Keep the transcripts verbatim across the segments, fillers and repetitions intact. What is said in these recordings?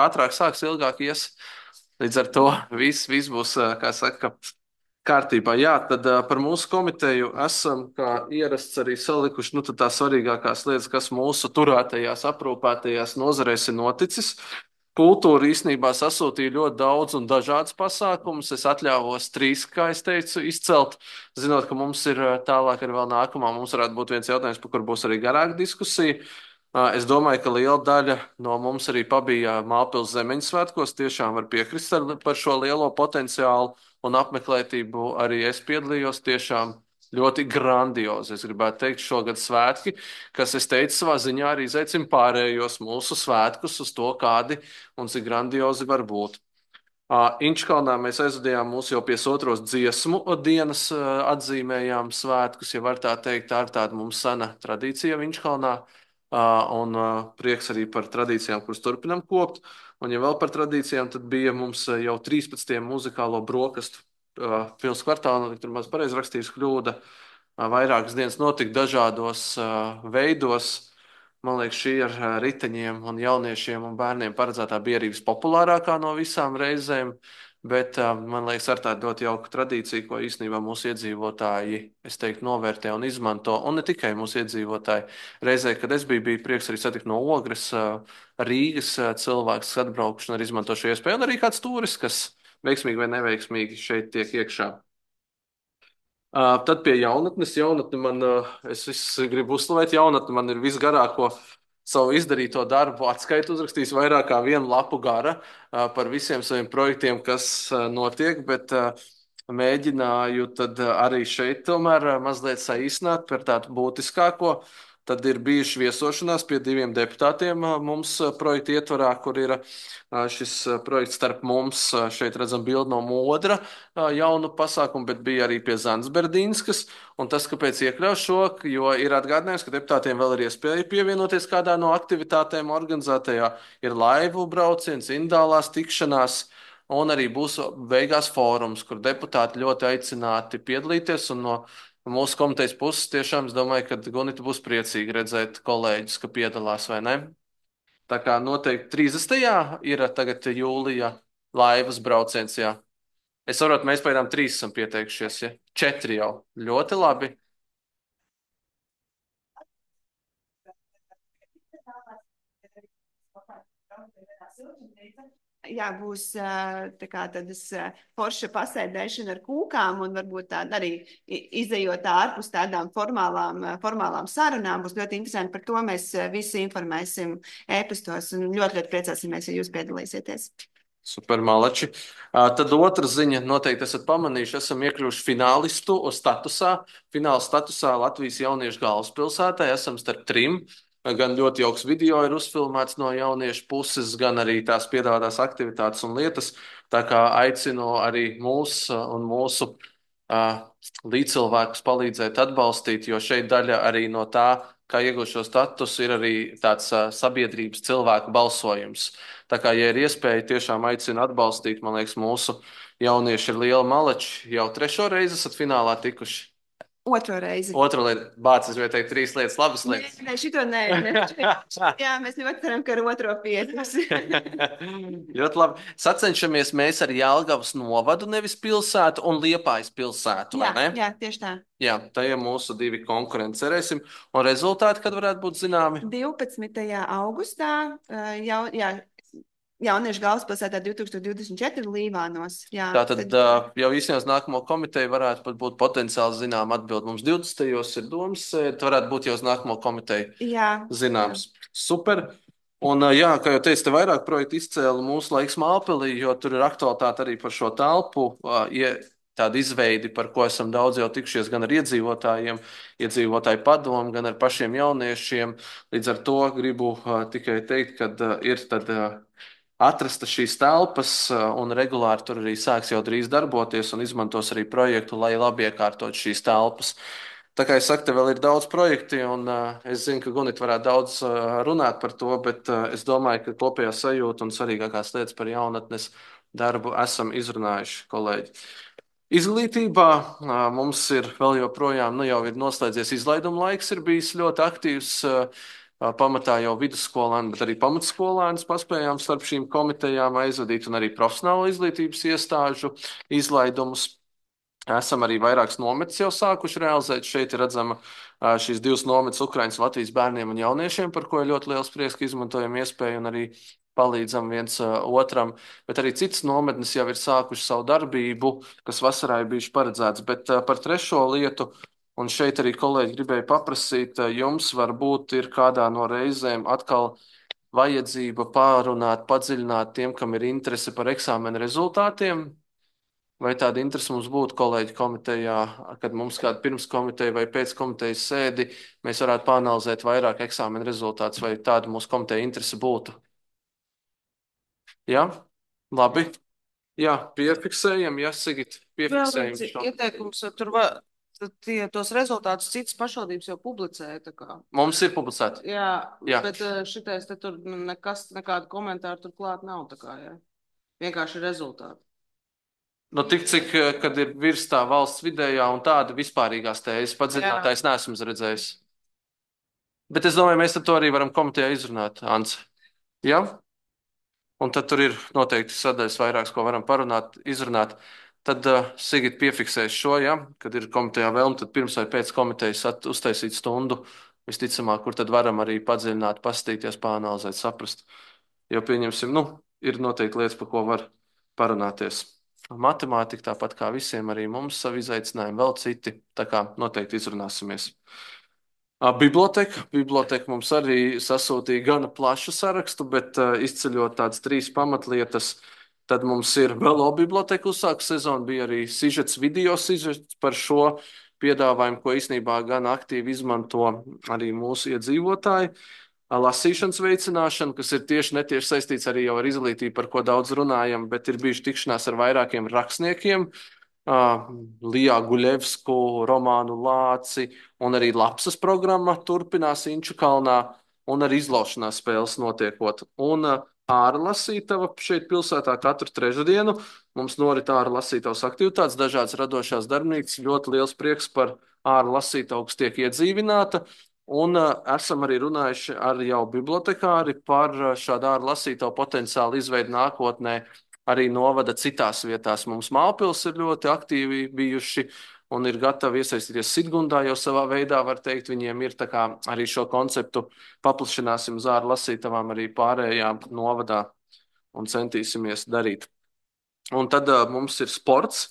ātrāk sāks, ilgāk ies. Līdz ar to viss, viss būs, kā saka, kārtībā. Jā, tad uh, par mūsu komiteju esam, kā ierasts, arī salikuši nu, tās svarīgākās lietas, kas mūsu turētajās, aprūpētajās nozarēs ir noticis. Kultūra īstenībā sasūtīja ļoti daudz un dažādas pasākumus. Es atļāvos trīs, kā es teicu, izcelt, zinot, ka mums ir tālāk arī vēl nākamā. Mums varētu būt viens jautājums, par kur būs arī garāka diskusija. Es domāju, ka liela daļa no mums arī pabija Mālpils Zemeņu svētkos. Tiešām var piekrist par šo lielo potenciālu un apmeklētību. Arī es piedalījos tiešām ļoti grandiozi. Es gribētu teikt, šogad svētki, kas, es teicu, savā ziņā arī izaicina pārējos mūsu svētkus uz to, kādi un cik grandiozi var būt. Uh, Inčkalnā mēs aizvadījām mūsu jau piesotros dziesmu dienas, uh, atzīmējām svētkus, ja var tā teikt, tā ir tāda mums sena tradīcija Inčkalnā, uh, un uh, prieks arī par tradīcijām, kuras turpinam kopt. Un ja vēl par tradīcijām, tad bija mums uh, jau trīspadsmitais muzikālo brokastu uh, pils kvartālā, tur maz pareizi rakstījis kļūda, uh, vairākas dienas notika dažādos uh, veidos. Man liekas, šī ar riteņiem un jauniešiem un bērniem paredzētā bija arī vispopulārākā no visām reizēm, bet man liekas, ar tādu ļoti jauku tradīciju, ko īstenībā mūsu iedzīvotāji, es teiktu, novērtē un izmanto, un ne tikai mūsu iedzīvotāji. Reizē, kad es biju, bija prieks arī satikt no Ogres, Rīgas cilvēks, kas atbraukšu un arī izmanto šo iespēju, un arī kāds turists, kas veiksmīgi vai neveiksmīgi šeit tiek iekšā. Uh, tad pie jaunatnes. Jaunatne man, uh, es visu gribu uzslavēt, jaunatne man ir visgarāko savu izdarīto darbu atskaitu uzrakstījis vairāk kā vienu lapu gara uh, par visiem saviem projektiem, kas uh, notiek, bet uh, mēģināju tad uh, arī šeit tomēr uh, mazliet saīsināt par tādu būtiskāko. Tad ir bijuši viesošanās pie diviem deputātiem uh, mums uh, projekta ietvarā, kur ir uh, šis uh, projekts starp mums. Uh, šeit redzam bildi no Modra uh, jaunu pasākumu, bet bija arī pie Zandsberdinskas. Un tas, kāpēc iekļauju šo, jo ir atgādinājums, ka deputātiem vēl ir iespēja pievienoties kādā no aktivitātēm organizētajā. Ir laivu brauciens, indālās tikšanās, un arī būs beigās fórums, kur deputāti ļoti aicināti piedalīties. Un no mūsu komitejas puses tiešām es domāju, ka Gunita būs priecīga redzēt kolēģus, ka piedalās vai ne. Tā kā noteikti trīsdesmitajā ir tagad jūlija laivas brauciens, jā. Es saprotu, mēs pēdām trīs esam pieteikušies, ja? Četri jau. Ļoti labi. Jā, būs tā kā tādas forša pasēdēšana ar kūkām un varbūt tāda arī izejot ārpus tādām formālām, formālām sarunām. Būs ļoti interesanti, par to mēs visi informēsim ēpastos un ļoti, ļoti priecāsimies, ja jūs piedalīsieties. Super, malači. Tad otra ziņa, noteikti esat pamanījuši, esam iekļuvuši finālistu statusā. Fināla statusā Latvijas jauniešu galvaspilsētā esam starp trim. Gan ļoti jauks video ir uzfilmēts no jauniešu puses, gan arī tās piedāvātās aktivitātes un lietas. Tā kā aicinu arī mūs un mūsu uh, līdzcilvēkus palīdzēt atbalstīt, jo šeit daļa arī no tā, kā iegūt šo statusu, ir arī tāds uh, sabiedrības cilvēku balsojums. Tā kā, ja ir iespēja, tiešām aicinu atbalstīt, man liekas, mūsu jaunieši ir liela malači. Jau trešo reizi esat finālā tikuši. Otro reizi. Otru lietu, bācis, vai teikt, trīs lietas, labas lietas. Nē, nē, šito nē. nē. Jā, mēs ļoti ceram, ka ar otro pietiks. Ļoti labi. Sacenšamies mēs ar Jelgavas novadu, nevis pilsētu, un Liepājas pilsētu, jā, vai ne? Jā, tieši tā. Jā, tā ir mūsu divi konkurenti, cerēsim. Un rezultāti, kad varētu būt zināmi? divpadsmitajā augustā, jau, jā, Jauniešu galvaspilsētā divi tūkstoši divdesmit četri Līvānos. Jā, Tātad tad... jau īstenībā uz nākamo komiteju varētu pat būt potenciāli zinām atbild. Mums divdesmitajos ir domas, tad varētu būt jau uz nākamo komiteju jā, zināms. Jā. Super. Un, jā, kā jau teicu, te vairāk projektu izcēla mūsu laiks Mālpilī, jo tur ir aktualitāte arī par šo telpu, tādu izveidi, par ko esam daudz jau tikšies gan ar iedzīvotājiem, iedzīvotāju padomu, gan ar pašiem jauniešiem. Līdz ar to gribu tikai teikt, ka ir tad atrasta šīs telpas un regulāri tur arī sāks jau drīz darboties un izmantos arī projektu, lai labi iekārtot šīs telpas. Tā kā es saku, te vēl ir daudz projekti, un uh, es zinu, ka Gunita varētu daudz uh, runāt par to, bet uh, es domāju, ka kopējā sajūta un svarīgākās lietas par jaunatnes darbu esam izrunājuši, kolēģi. Izglītībā uh, mums ir vēl joprojām, nu jau ir noslēdzies izlaiduma laiks, ir bijis ļoti aktīvs. Uh, pamatā jau vidusskolēni, bet arī pamatskolēnus paspējām starp šīm komitejām aizvadīt un arī profesionāla izglītības iestāžu izlaidumus. Esam arī vairākas nometnes jau sākuši realizēt. Šeit ir redzama šīs divas nometnes Ukraiņas Latvijas bērniem un jauniešiem, par ko ir ļoti liels prieks, ka izmantojam iespēju un arī palīdzam viens otram. Bet arī citas nometnes jau ir sākuši savu darbību, kas vasarā ir bijuši paredzēts. Bet par trešo lietu, un šeit arī kolēģi gribēja paprasīt, jums varbūt ir kādā no reizēm atkal vajadzība pārunāt, padziļināt tiem, kam ir interese par eksāmenu rezultātiem. Vai tāda interese mums būtu kolēģi komitejā, kad mums kāda pirmskomiteja vai pēckomitejas sēdi, mēs varētu pāanalizēt vairāk eksāmena rezultātus, vai tāda mūsu komiteja interese būtu? Jā? Labi. Jā, piefiksējam, jā, Sigit, Vēl piefiksējam viens šo. ieteikums, tur va, tie, tos rezultātus citas pašvaldības jau publicēja. Tā kā. Mums ir publicēti. Jā, Jā. bet eh, šitais te tur nekas, nekāda komentāra tur klāt nav. Tā kā, jā. Vienkārši rezultāti. Nu, tik cik, kad ir virs tā valsts vidējā un tāda vispārīgās tēzes, padziļinātājs neesmu redzējis. Bet es domāju, mēs to arī varam komitejā izrunāt, Ants. Jā? Un tad tur ir noteikti sadaļas vairākas, ko varam parunāt, izrunāt. Tad uh, Sigit piefiksēs šo, ja, kad ir komitejā vēlme, tad pirms vai pēc komitejas at, uztaisīt stundu, visticamāk, kur tad varam arī padziļināt, pastīties, pāanalizēt, saprast. Jo pieņemsim, nu, ir noteikti lietas, par ko var parunāties. Matemātika tāpat kā visiem, arī mums savi izaicinājumi, vēl citi, tā kā noteikti izrunāsimies. Biblioteka. Biblioteka mums arī sasūtīja gana plašu sarakstu, bet uh, izceļot tādas trīs pamatlietas, tad mums ir velo biblioteka uzsāku sezonu, bija arī sižets, video sižets par šo piedāvājumu, ko īstenībā gan aktīvi izmanto arī mūsu iedzīvotāji. Lasīšanas veicināšana, kas ir tieši netieši saistīts arī jau ar izglītību, par ko daudz runājam, bet ir bijuši tikšanās ar vairākiem rakstniekiem, Uh, Lijā Guļevsku, Romānu Lāci, un arī Lapsas programma turpinās Inču kalnā, un arī izlaušanās spēles notiekot. Un uh, ārlasītava šeit pilsētā katru trešdienu mums norit ārlasītavas aktivitātes, dažādas radošās darbnīcas, ļoti liels prieks par ārlasītavu, kas tiek iedzīvināta. Un uh, esam arī runājuši ar jau bibliotekāri par uh, šādu ārlasītavu potenciālu izveidu nākotnē. Arī novada citās vietās. Mums Mālpils ir ļoti aktīvi bijuši un ir gatavi iesaistīties Sidgundā, jo savā veidā, var teikt, viņiem ir tā kā arī šo konceptu paplašināsim uz ārlasītavām arī pārējām novadā un centīsimies darīt. Un tad uh, mums ir sports.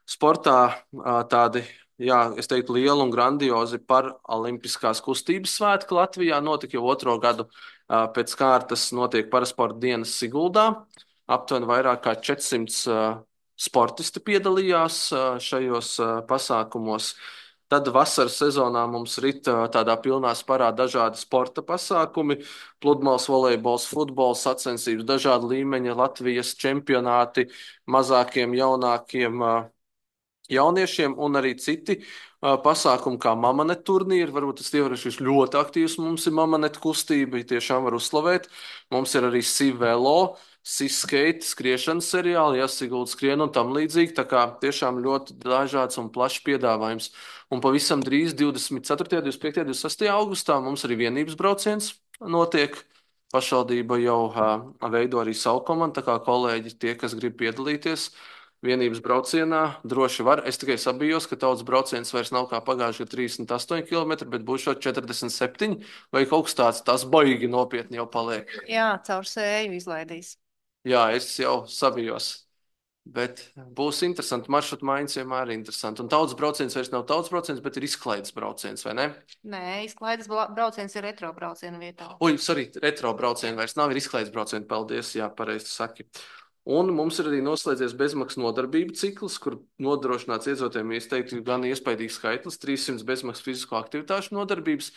Sportā uh, tādi, jā, es teiktu, lieli un grandiozi par olimpiskās kustības svētku Latvijā. Notika jau otro gadu uh, pēc kārtas notiek parasporta dienas Siguldā. Aptuveni vairāk kā četrsimt uh, sportisti piedalījās uh, šajos uh, pasākumos. Tad vasaras sezonā mums rit uh, tādā pilnā sparā dažādi sporta pasākumi, pludmales, volejbols, futbols, sacensības, dažādi līmeņa Latvijas čempionāti, mazākiem, jaunākiem uh, jauniešiem un arī citi uh, pasākumi kā Mamanet turnīri. Varbūt tas ievērošais ļoti aktīvs mums ir Mamanet kustība, tiešām var uzslavēt. Mums ir arī Sivelo, Siskate, skriešanas seriāli, jāsigulda skrien un tam līdzīgi. Tā kā tiešām ļoti dažāds un plašs piedāvājums. Un pavisam drīz divdesmit ceturtajā, divdesmit piektajā, divdesmit sestajā augustā mums arī vienības brauciens notiek. Pašvaldība jau uh, veido arī savu komandu, tā kā kolēģi tie, kas grib piedalīties vienības braucienā, droši var. Es tikai sabijos, ka tautas brauciens vairs nav kā pagājušajā trīsdesmit astoņi kilometri, bet būs šo četrdesmit septiņi vai kaut kas tāds, tas baigi nopietni jau paliek. Jā, caur sēju izlaidīs. Jā, es jau sabijos. Bet būs interesanti. Maršrutu maiņas vienmēr ir interesanti. Un tautas brauciens vairs nav tautas brauciens, bet ir izklaides brauciens, vai ne? Nē, izklaides brauciens ir retro brauciena vietā. Ui, sorry, retro brauciena vairs nav, ir izklaides brauciena. Paldies, jā, pareizi saki. Un mums ir arī noslēdzies bezmaksas nodarbību cikls, kur nodrošināts iedzīvotājiem, es teiktu, gan iespaidīgs skaitlis, trīssimts bezmaksas fizisko aktivitāšu nodarbības.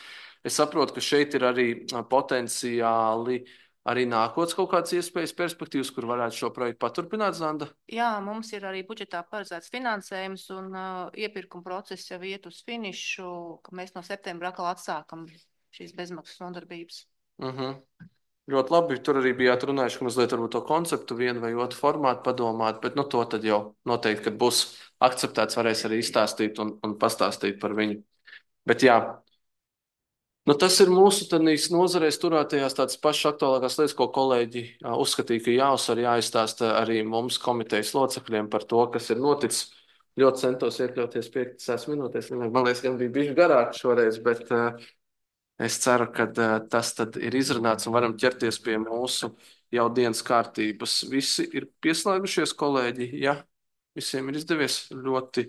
Es saprotu, ka šeit ir arī potenciāli arī nākotnes kaut kādas iespējas, perspektīvas, kur varētu šo projektu paturpināt, Zanda? Jā, mums ir arī budžetā paredzēts finansējums un uh, iepirkuma process jau iet uz finišu, ka mēs no septembra atkal atsākam šīs bezmaksas nodarbības. Uh-huh. Ļoti labi. Tur arī bijāt runājuši, ka mazliet varbūt to konceptu vienu vai otru formātu padomāt, bet nu to tad jau noteikti, kad būs akceptēts, varēs arī izstāstīt un, un pastāstīt par viņu. Bet jā, Nu, tas ir mūsu tādīs nozarēs turētajās tādas pašas aktuālākās lietas, ko kolēģi ā, uzskatīja, ka jāuzsver, jāizstāsta arī mums komitejas locekļiem par to, kas ir noticis. Ļoti centos iekļauties piecās minūtēs. Man liekas, gan bija bišķi garāk šoreiz, bet uh, es ceru, ka uh, tas tad ir izrunāts un varam ķerties pie mūsu jau dienas kārtības. Visi ir pieslēgušies, kolēģi. Ja visiem ir izdevies ļoti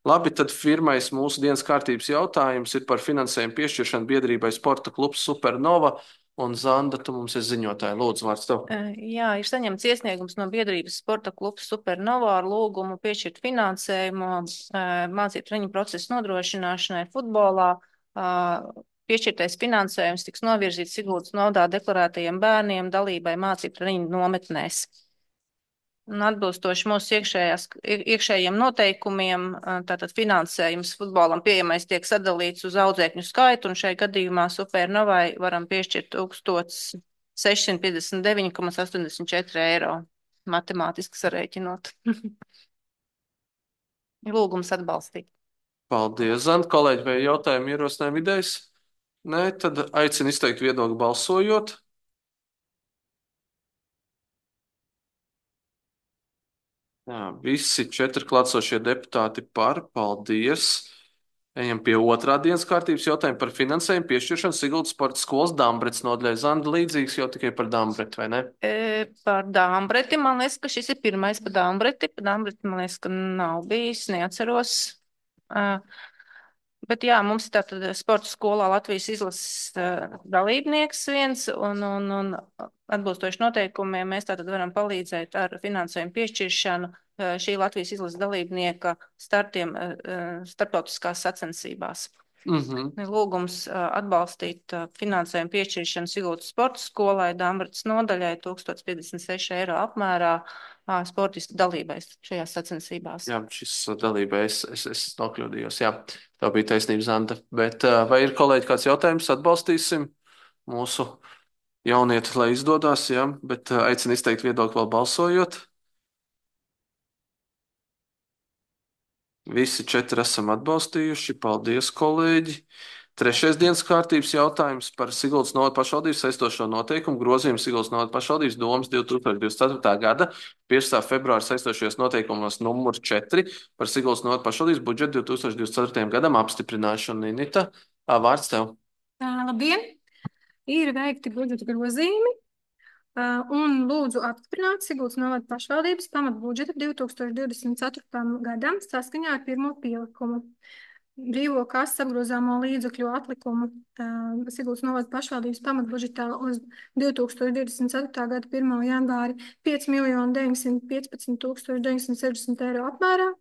labi, tad pirmais mūsu dienas kārtības jautājums ir par finansējumu piešķiršanu biedrībai Sporta klubs Supernova. Un Zanda, tu mums esi ziņotāja. Lūdzu, vārds tev. Eh, Jā, ir saņemts iesniegums no biedrības Sporta klubs Supernova ar lūgumu piešķirt finansējumu eh, mācību treniņu procesu nodrošināšanai futbolā. Eh, Piešķirtais finansējums tiks novirzīts Siguldas novadā deklarētajiem bērniem dalībai mācību treniņu nometnēs. Un atbilstoši mūsu iekšējās, iek- iekšējiem noteikumiem, eh, tātad finansējums futbolam pieejamais tiek sadalīts uz audzēkņu skaitu, un šai gadījumā Supernovai varam piešķirt tūkstoš sešsimt piecdesmit deviņi komats astoņdesmit četri eiro, matemātiski sarēķinot. Lūgums atbalstīt. Paldies, Zanda. Kolēģi, vai jautājumi ierosinājumi idejas? Nē, tad aicinu izteikt viedokli balsojot. Jā, visi četri klātsošie deputāti par. Paldies. Ejam pie otrā dienas kārtības jautājuma par finansējumu piešķiršanu Siguldas sporta skolas Dambrets nodaļai. Zanda, līdzīgs jau tikai par Dambretu, vai ne? E, par Dambreti, man liekas, ka šis ir pirmais par Dambreti. Par Dambreti, man liekas, ka nav bijis, neatceros. Uh, Bet jā, mums ir tātad sporta skolā Latvijas izlases uh, dalībnieks viens, un, un, un atbilstoši noteikumiem mēs tātad varam palīdzēt ar finansējumu piešķiršanu uh, šī Latvijas izlases dalībnieka startiem uh, starptautiskās sacensībās. Mhm. Lūgums uh, atbalstīt uh, finansējumu piešķiršanu Siguldas sporta skolai Dambrets nodaļai tūkstoš piecdesmit seši eiro apmērā uh, sportistu dalībais šajās sacensībās. Jā, šis dalība, es, es, es nokļūdījos. Jā, tā bija taisnība, Zanda. Bet uh, vai ir kolēģi kāds jautājums? Atbalstīsim mūsu jaunieti, lai izdodas, jā, bet uh, aicinu izteikt viedokli vēl balsojot. Visi četri esam atbalstījuši. Paldies, kolēģi! Trešais dienas kārtības jautājums par Siguldas novada pašvaldības saistošo noteikumu grozījumu Siguldas novada pašvaldības domas divtūkstoš divdesmit ceturtā gada piecā februāra saistošajos noteikumos numur četri par Siguldas novada pašvaldības budžetu divi tūkstoši divdesmit ceturtajam gadam apstiprināšanu. Ninita, ā, vārds tev. Tā, labdien! Ir veikti budžeta grozījumi uh, un lūdzu apstiprināt Siguldas novada pašvaldības pamatbudžetu divi tūkstoši divdesmit ceturtajam gadam saskaņā ar pirmo pielikumu. Brīvo kases apgrozāmo līdzekļu atlikumu uh, Siguldas novada pašvaldības pamatbudžetā uz divi tūkstoši divdesmit ceturtā gada pirmā janvāri pieci miljoni deviņsimt piecpadsmit tūkstoši deviņsimt sešdesmit eiro apmērā.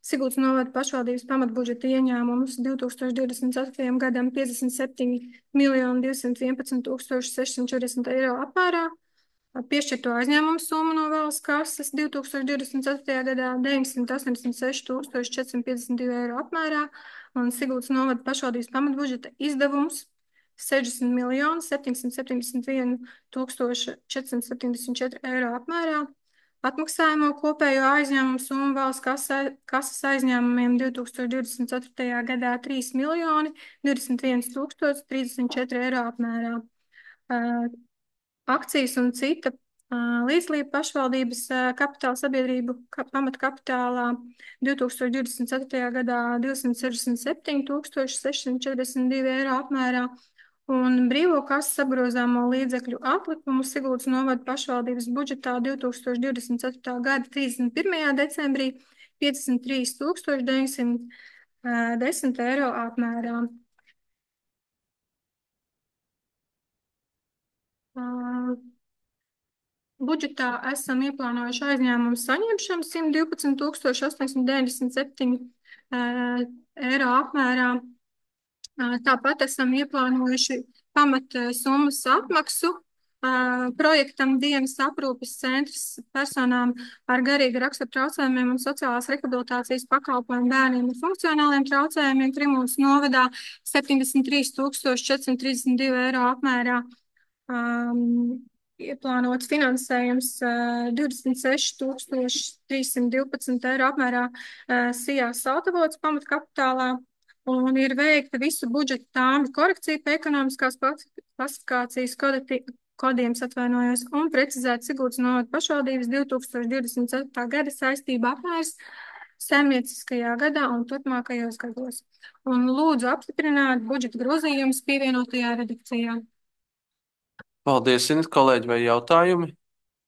Siguldas novada pašvaldības pamatbudžeta ieņēmumus divi tūkstoši divdesmit ceturtajam gadam piecdesmit septiņi miljoni divsimt vienpadsmit tūkstoši sešsimt četrdesmit eiro apmērā. Piešķirto aizņēmumu summu no valsts kases divi tūkstoši divdesmit ceturtajā gadā deviņsimt astoņdesmit seši tūkstoši četrsimt piecdesmit divi eiro apmērā un Siguldas novada pašvaldības pamatbudžeta izdevums sešdesmit miljoni septiņsimt septiņdesmit viens tūkstoši četrsimt septiņdesmit četri eiro apmērā. Atmaksājumu kopējo aizņēmumu summu valsts kasa, kases aizņēmumiem divi tūkstoši divdesmit ceturtajā gadā trīs miljoni divdesmit viens tūkstoši trīsdesmit četri eiro apmērā. Uh, Akcijas un cita uh, līdzlība pašvaldības uh, kapitāla sabiedrību ka, pamatkapitālā divi tūkstoši divdesmit ceturtajā gadā divsimt sešdesmit septiņi tūkstoši sešsimt četrdesmit divi eiro apmērā un brīvo kases apgrozāmo līdzekļu atlikumu Siguldas novada pašvaldības budžetā divi tūkstoši divdesmit ceturtā gada trīsdesmit pirmajā decembrī piecdesmit trīs tūkstoši deviņsimt desmit eiro apmērā. Uh, budžetā esam ieplānojuši aizņēmumu saņemšanu simt divpadsmit tūkstoši astoņsimt deviņdesmit septiņi uh, eiro apmērā. Uh, tāpat esam ieplānojuši pamat summas apmaksu uh, projektam dienas aprūpes centrs personām ar garīga rakstura traucējumiem un sociālās rehabilitācijas pakalpojumu bērniem ar funkcionāliem traucējumiem Trimūnas novadā septiņdesmit trīs tūkstoši četrsimt trīsdesmit divi eiro apmērā. Um, ieplānots finansējums uh, divdesmit seši tūkstoši trīssimt divpadsmit eiro apmērā uh, Sijās Sautavots pamatkapitālā un ir veikta visu budžeta tāmi korekcija pie ekonomiskās klasifikācijas kodiem, atvainojos, un precizēt Siguldas novada pašvaldības divs tūkstoši divdesmit ceturtā gada saistība apmērs saimnieciskajā gadā un turpmākajos gados. Un lūdzu apstiprināt budžeta grozījumus pievienotajā redakcijā. Paldies, Init, kolēģi, vai jautājumi?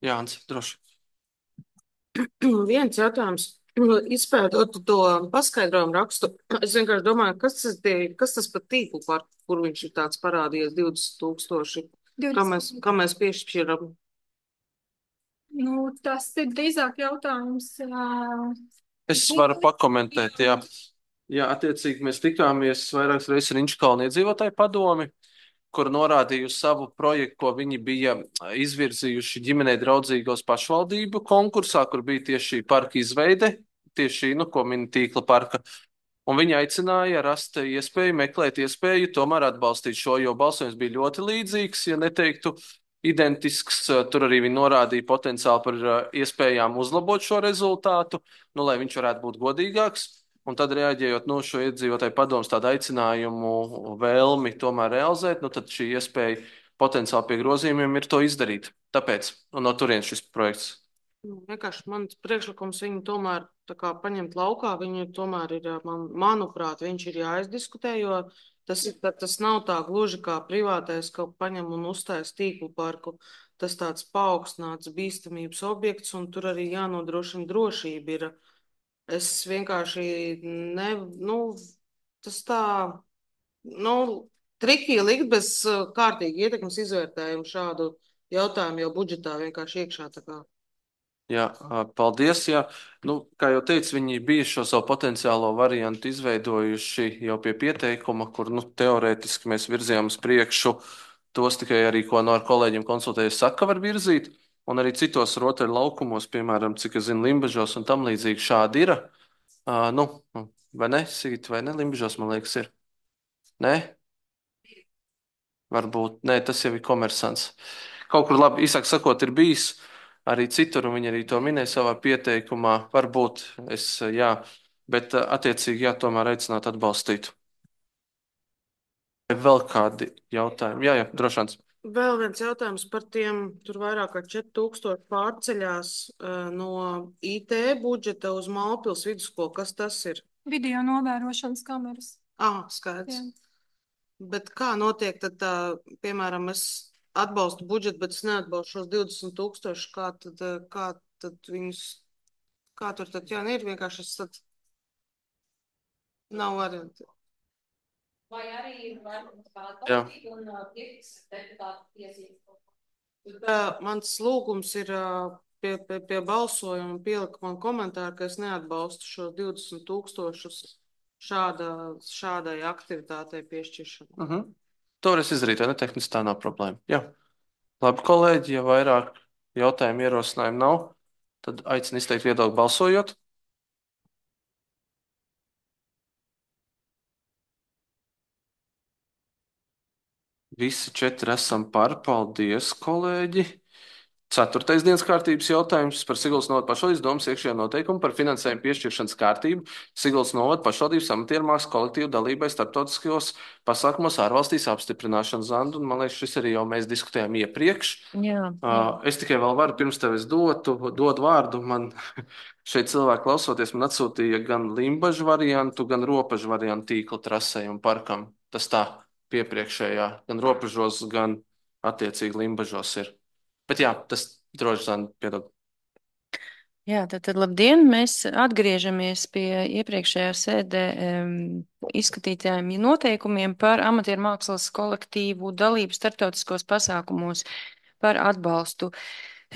Jānis, droši. Viens jautājums. Izpētot to paskaidrojumu rakstu, es vienkārši domāju, kas tas, tie, kas tas par tīklu, par kur viņš ir tāds parādījies divdesmit tūkstoši, kā mēs, kā mēs piešķiram? Nu, tas ir drīzāk jautājums. Uh, Es varu pakomentēt, jā. Jā, attiecīgi mēs tikāmies vairākas reizes ar Inčkalnu iedzīvotāju padomi, kur norādīju savu projektu, ko viņi bija izvirzījuši ģimenei draudzīgos pašvaldību konkursā, kur bija tieši parka izveide, tieši, nu, ko min tīkla parka. Un viņi aicināja rast iespēju, meklēt iespēju tomēr atbalstīt šo, jo balsojums bija ļoti līdzīgs, ja neteiktu identisks. Tur arī viņi norādīja potenciāli par iespējām uzlabot šo rezultātu, nu, lai viņš varētu būt godīgāks. Un tad, reaģējot no šo iedzīvotāju padomus tādu aicinājumu, vēlmi tomēr realizēt, nu, tad šī iespēja potenciāli pie grozījumiem ir to izdarīt. Tāpēc, un no turienes šis projekts. Vienkārši mans priekšlikums viņu tomēr tā kā paņemt laukā, viņu tomēr ir, man, manuprāt, viņš ir jāizdiskutē, jo tas, ir, tas nav tā gluži kā privātais, ka paņem un uztais tīklu parku. Tas tāds paaugstināts bīstamības objekts, un tur arī jānodrošina drošība ir. Es vienkārši ne, nu, tas tā, nu, trikī likt bez kārtīgi ietekmes izvērtējumu šādu jautājumu jau budžetā vienkārši iekšā tā kā. Jā, paldies. Jā. Nu, kā jau teicu, viņi bija šo savu potenciālo variantu izveidojuši jau pie pieteikuma, kur, nu, teorētiski mēs virzījām uz priekšu tos tikai arī, ko no ar kolēģiem konsultējies, saka, var virzīt. Un arī citos rotaļu laukumos, piemēram, cik es zinu, Limbažos un tam līdzīgi šādi ir. Uh, nu, vai ne, Sigit, vai ne, Limbažos, man liekas, ir. Nē? Varbūt, nē, tas jau ir komersants. Kaut kur labi, īsāk sakot, ir bijis arī citur, un viņi arī to minēja savā pieteikumā. Varbūt es, jā, bet attiecīgi, jā, tomēr aicināt atbalstīt. Vai vēl kādi jautājumi? Jā, jā, drošāns. Vēl viens jautājums par tiem, tur vairāk kā četri tūkstoši pārceļās uh, no I T budžeta uz Mālpils vidusskolu. Kas tas ir? Video novērošanas kameras. Ah, skaidrs. Jā. Bet kā notiek tad, tā, piemēram, es atbalstu budžetu, bet es neatbalstu šos divdesmit tūkstoši, kā tad, kā tad viņus, kā tur tad, jā, ir vienkārši es tad nav varianti. Vai arī var atbalstīt un piefiksēt deputātu tiesības? Mans lūgums ir pie, pie, pie balsojuma pielikt man komentāru, ka es neatbalstu šos divdesmit tūkstošus šāda, šādai aktivitātei piešķiršanu. Uh -huh. To var es izdarīt, vai ne? Tehniski tā nav problēma. Jā. Labi, kolēģi, ja vairāk jautājumu ierosinājumu nav, tad aicinu izteikt viedokli balsojot. Visi četri esam par. Paldies, kolēģi. Ceturtais dienas kārtības jautājums par Siguldas novada pašvaldības domas iekšējo noteikumu par finansējumu piešķiršanas kārtību Siguldas novada pašvaldības amatiermākslas kolektīvu dalībai starptautiskajos pasākumos ārvalstīs apstiprināšanu. Zandu, un man liekas, šis arī jau mēs diskutējām iepriekš. Jā, jā. Uh, es tikai vēl varu, pirms tev es dotu, dodu vārdu, man šeit cilvēki klausoties, man atsūtīja gan Limbažu variantu, gan Ropažu variantu tīkla trasei un parkam. Tas tā piepriekšējā, gan Ropažos, gan attiecīgi Limbažos ir. Bet jā, tas droši vien piedod. Jā, tad, tad labdien, mēs atgriežamies pie iepriekšējā sēdē um, izskatītājiem noteikumiem par amatieru mākslas kolektīvu dalību starptautiskos pasākumos par atbalstu.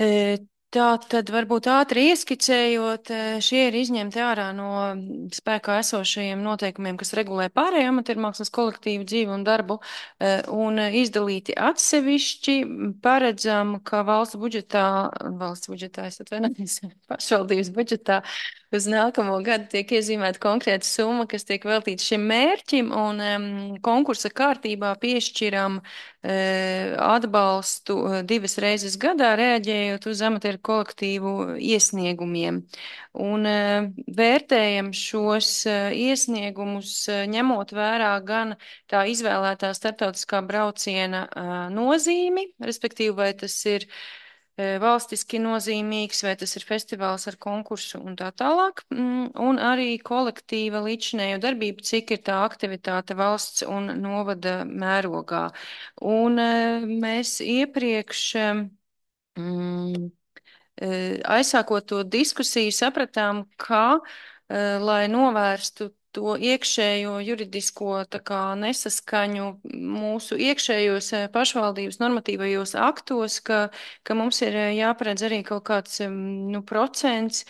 E, Tā tad varbūt ātri ieskicējot, šie ir izņemti ārā no spēkā esošajiem noteikumiem, kas regulē pārējo amatiermākslas kolektīvu dzīvi un darbu, un izdalīti atsevišķi. Paredzam, ka valsts budžetā, valsts budžetā, es atvainojos, pašvaldības budžetā uz nākamo gadu tiek iezīmēta konkrēta summa, kas tiek veltīta šim mērķim, un um, konkursa kārtībā piešķiram uh, atbalstu uh, divas reizes gadā, reaģējot uz amatieru ar kolektīvu iesniegumiem. Un vērtējam šos iesniegumus, ņemot vērā gan tā izvēlētā starptautiskā brauciena nozīmi, respektīvi, vai tas ir valstiski nozīmīgs, vai tas ir festivāls ar konkursu un tā tālāk, un arī kolektīva līdzinējo darbību, cik ir tā aktivitāte valsts un novada mērogā. Un mēs iepriekš, mm, aizsākot to diskusiju, sapratām, ka, lai novērstu to iekšējo juridisko tā kā nesaskaņu mūsu iekšējos pašvaldības normatīvajos aktos, ka, ka mums ir jāparedz arī kaut kāds nu, procents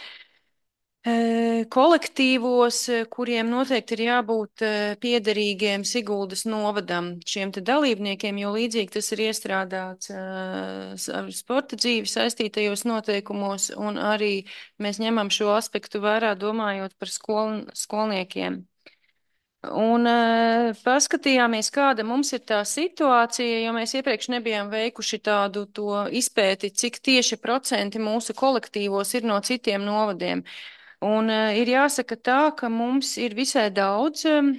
kolektīvos, kuriem noteikti ir jābūt piederīgiem Siguldas novadam šiem te dalībniekiem, jo līdzīgi tas ir iestrādāts ar sporta dzīvi saistītajos noteikumos, un arī mēs ņemam šo aspektu vērā, domājot par skol, skolniekiem. Un uh, paskatījāmies, kāda mums ir tā situācija, jo mēs iepriekš nebijām veikuši tādu to izpēti, cik tieši procenti mūsu kolektīvos ir no citiem novadiem. Un uh, ir jāsaka tā, ka mums ir visai daudz um,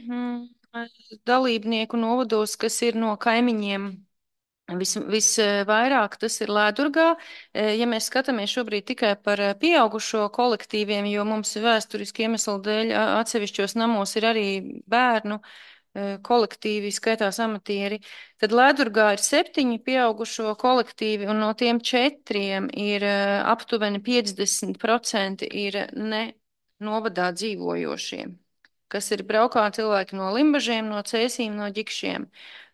dalībnieku novados, kas ir no kaimiņiem. Vis, visvairāk tas ir Lēdurgā. Ja mēs skatāmies šobrīd tikai par pieaugušo kolektīviem, jo mums vēsturiski iemeslu dēļ atsevišķos namos ir arī bērnu kolektīvi, skaitās amatieri, tad Lēdurgā ir septiņi pieaugušo kolektīvi, un no tiem četriem ir aptuveni piecdesmit procenti ir ne novadā dzīvojošiem, kas ir braukā cilvēki no Limbažiem, no Cēsīm, no Ģikšiem.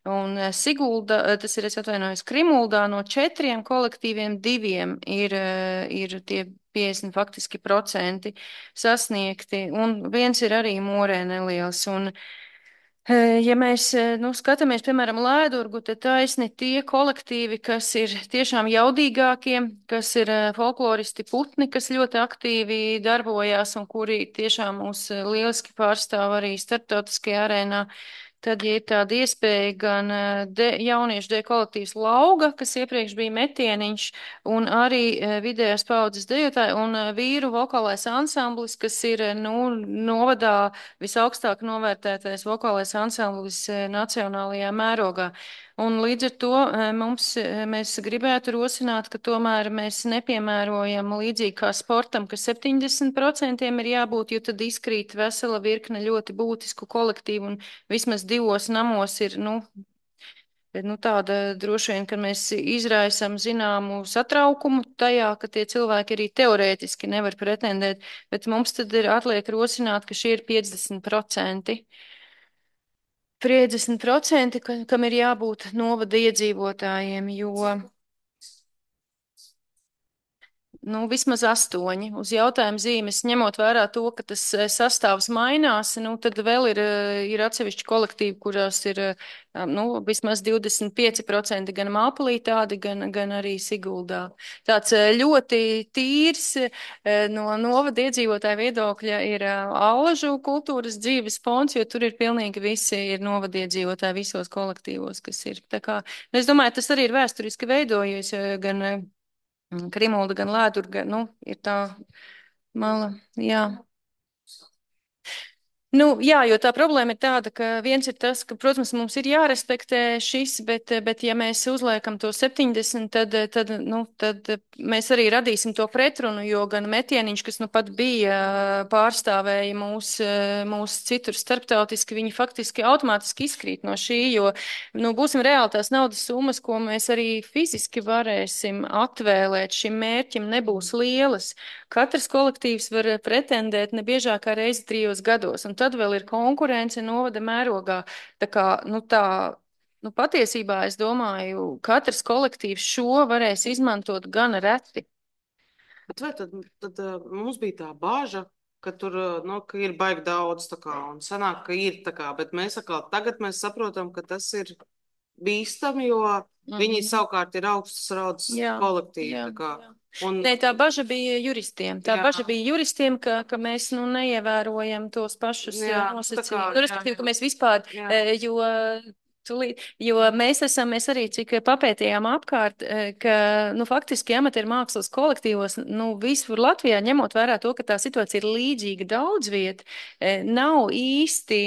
Un Sigulda, tas ir, es atvainojos, Krimuldā no četriem kolektīviem diviem ir, ir tie piecdesmit faktiski procenti sasniegti, un viens ir arī Morē neliels. Un, ja mēs nu, skatāmies, piemēram, Lēdurgu, tad taisni tie kolektīvi, kas ir tiešām jaudīgākie, kas ir folkloristi putni, kas ļoti aktīvi darbojās un kuri tiešām mūs lieliski pārstāv arī starptautiskajā arēnā. Tad, ja ir tāda iespēja, gan de, jauniešu deju kolektīvs Lauga, kas iepriekš bija metieniņš, un arī vidējās paudzes dejotāji, un vīru vokālais ansamblis, kas ir, nu, novadā visaugstāk novērtētais vokālais ansamblis nacionālajā mērogā. Un līdz ar to mums, mēs gribētu rosināt, ka tomēr mēs nepiemērojam līdzīgi kā sportam, ka septiņdesmit procenti ir jābūt, jo tad izkrīt vesela virkne ļoti būtisku kolektīvu, un vismaz divos namos ir, nu, nu tāda droši vien, ka mēs izraisam zināmu satraukumu tajā, ka tie cilvēki arī teorētiski nevar pretendēt, bet mums tad ir atliek rosināt, ka šie ir piecdesmit procenti. piecdesmit procenti, kam ir jābūt novada iedzīvotājiem, jo nu, vismaz astoņi. Uz jautājumu zīmes, ņemot vērā to, ka tas sastāvs mainās, nu, tad vēl ir, ir atsevišķi kolektīvi, kurās ir, nu, vismaz divdesmit pieci procenti gan Māpulī tādi, gan, gan arī Siguldā. Tāds ļoti tīrs no novada iedzīvotāju viedokļa ir Allažu kultūras dzīves fonds, jo tur ir pilnīgi visi ir novada iedzīvotāji visos kolektīvos, kas ir. Tā kā, es domāju, tas arī ir vēsturiski veidojies, gan Krimulda, gan Lēdurga, nu, ir tā mala, jā. Nu, jā, jo tā problēma ir tāda, ka viens ir tas, ka, protams, mums ir jārespektē šis, bet, bet ja mēs uzliekam to septiņdesmit, tad, tad, nu, tad mēs arī radīsim to pretrunu, jo gan metieniņš, kas nu pat bija pārstāvēja mūs, mūs citur starptautiski, viņi faktiski automātiski izkrīt no šī, jo, nu, būsim reāli tās naudas summas, ko mēs arī fiziski varēsim atvēlēt šim mērķim, nebūs lielas. Katrs kolektīvs var pretendēt nebiežākā reizi trijos gados, un tad vēl ir konkurence novada mērogā. Tā kā, nu tā, nu patiesībā es domāju, katrs kolektīvs šo varēs izmantot gan reti. Bet vai tad, tad mums bija tā bāža, ka tur, nu, ka ir baigi daudz, tā kā, un sanāk, ka ir tā kā, bet mēs atkal tagad mēs saprotam, ka tas ir bīstami, jo mm-hmm. viņi savukārt ir augstas raudzes kolektīvi, jā, tā kā. Jā. Un... Nē, tā baža bija juristiem. Tā jā. baža bija juristiem, ka, ka mēs nu, neievērojam tos pašus nosacījumus. Nu, respektīvi, ka mēs vispār, jā. jo Tūlīt, jo mēs esam, mēs arī cik papētījām apkārt, ka, nu, faktiski amatieru mākslas kolektīvos, nu, visur Latvijā, ņemot vērā to, ka tā situācija ir līdzīga daudz viet, nav īsti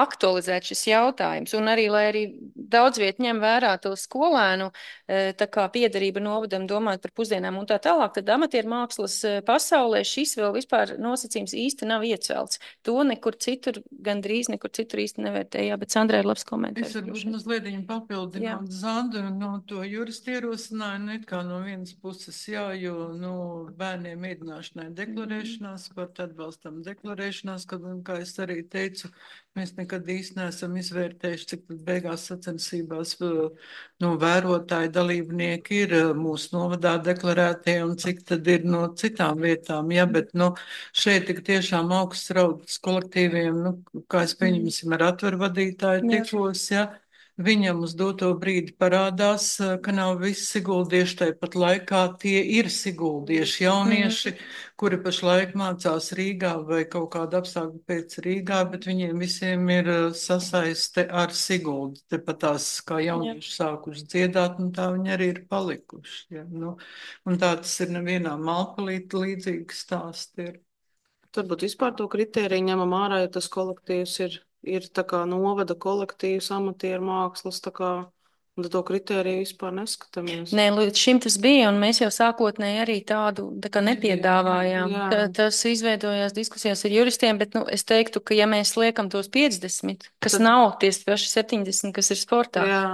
aktualizēt šis jautājums. Un arī, lai arī daudz viet ņem vērā to skolēnu, tā kā piederība novadam domāt par pusdienām un tā tālāk, tad amatieru mākslas pasaulē šis vēl vispār nosacījums īsti nav iecelts. To nekur citur, gandrīz nekur citur īsti nevērtēja, bet Sandrai ir labs komentārs. Varbūt mazliet papildināt Zandu no to juristu ierosinājumu, it kā no vienas puses jā, jo, nu, bērniem mēģināšanai deklarēšanās, pat atbalstam deklarēšanās, kad, un, kā es arī teicu, mēs nekad īsti neesam izvērtējuši, cik tad beigās sacensībās, nu, vērotāji dalībnieki ir mūsu novadā deklarētie un cik tad ir no citām vietām, ja, bet, nu, šeit tik tiešām augsts raudas kolektīviem, nu, kā es pieņemsim ar atveru vadītāju tikos, ja, viņam uz doto brīdi parādās, ka nav visi siguldieši, tāpat laikā tie ir siguldieši jaunieši, mm. kuri pašlaik mācās Rīgā vai kaut kādu apstākļu pēc Rīgā, bet viņiem visiem ir sasaiste ar Siguldu. Tepat tās, kā jaunieši Jā. Sākuši dziedāt, un tā viņi arī ir palikuši. Ja? Nu, un tā tas ir nevienā malpalīta līdzīgi stāsti ir. Varbūt vispār to kritēriju ņemam ārā, ja tas kolektīvs ir, ir tā kā novada kolektīvs, amatieru mākslas, tā kā, un to kritēriju vispār neskatāmies. Nē, līdz šim tas bija, un mēs jau sākotnēji arī tādu tā kā nepiedāvājām. Tā, tas izveidojās diskusijās ar juristiem, bet, nu, es teiktu, ka ja mēs liekam tos piecdesmit, kas tad nav tie paši septiņdesmit, kas ir sportā, jā.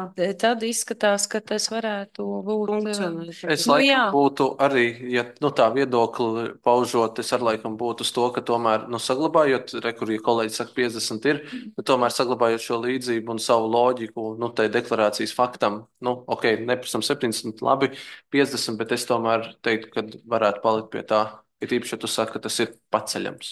Tad izskatās, ka tas varētu būt. Funkcionēt. Es laikam nu, būtu arī, ja nu, tā viedokli paužot, es ar laikam būtu uz to, ka tomēr, nu, saglabājot, re, kur ja kolēģi saka piecdesmit ir, bet tomēr saglabājot šo līdzību un savu loģiku, nu, tai deklarācijas faktu. Faktam, nu, ok, neprasam septiņdesmit, labi, piecdesmit, bet es tomēr teiktu, ka varētu palikt pie tā, ir īpaši, ja tu saki, ka tas ir paceļams.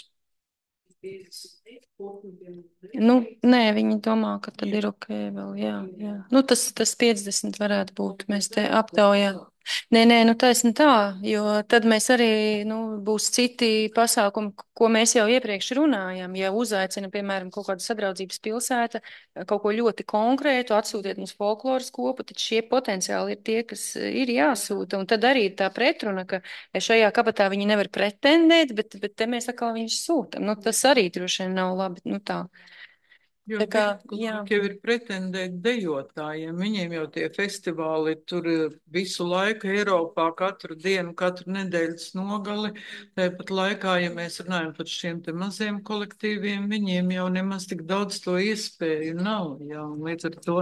Nu, nē, viņi domā, ka tad ir ok vēl, jā, jā. Nu, tas, tas piecdesmit varētu būt, mēs te aptaujām. Nē, nē, nu taisni tā, jo tad mēs arī, nu, būs citi pasākumi, ko mēs jau iepriekš runājam. Ja uzaicina, piemēram, kaut kāda sadraudzības pilsēta, kaut ko ļoti konkrētu, atsūtiet mums folkloras kopu, tad šie potenciāli ir tie, kas ir jāsūta. Un tad arī tā pretruna, ka šajā kabatā viņi nevar pretendēt, bet, bet te mēs atkal viņus sūtam. Nu, tas arī droši vien nav labi, nu tā. Jo kā, jau ir pretendēt dejotājiem, viņiem jau tie festivāli tur visu laiku Eiropā, katru dienu, katru nedēļas nogali. Tāpat laikā, ja mēs runājam par šiem te maziem kolektīviem, viņiem jau nemaz tik daudz to iespēju nav. Jā, līdz ar to,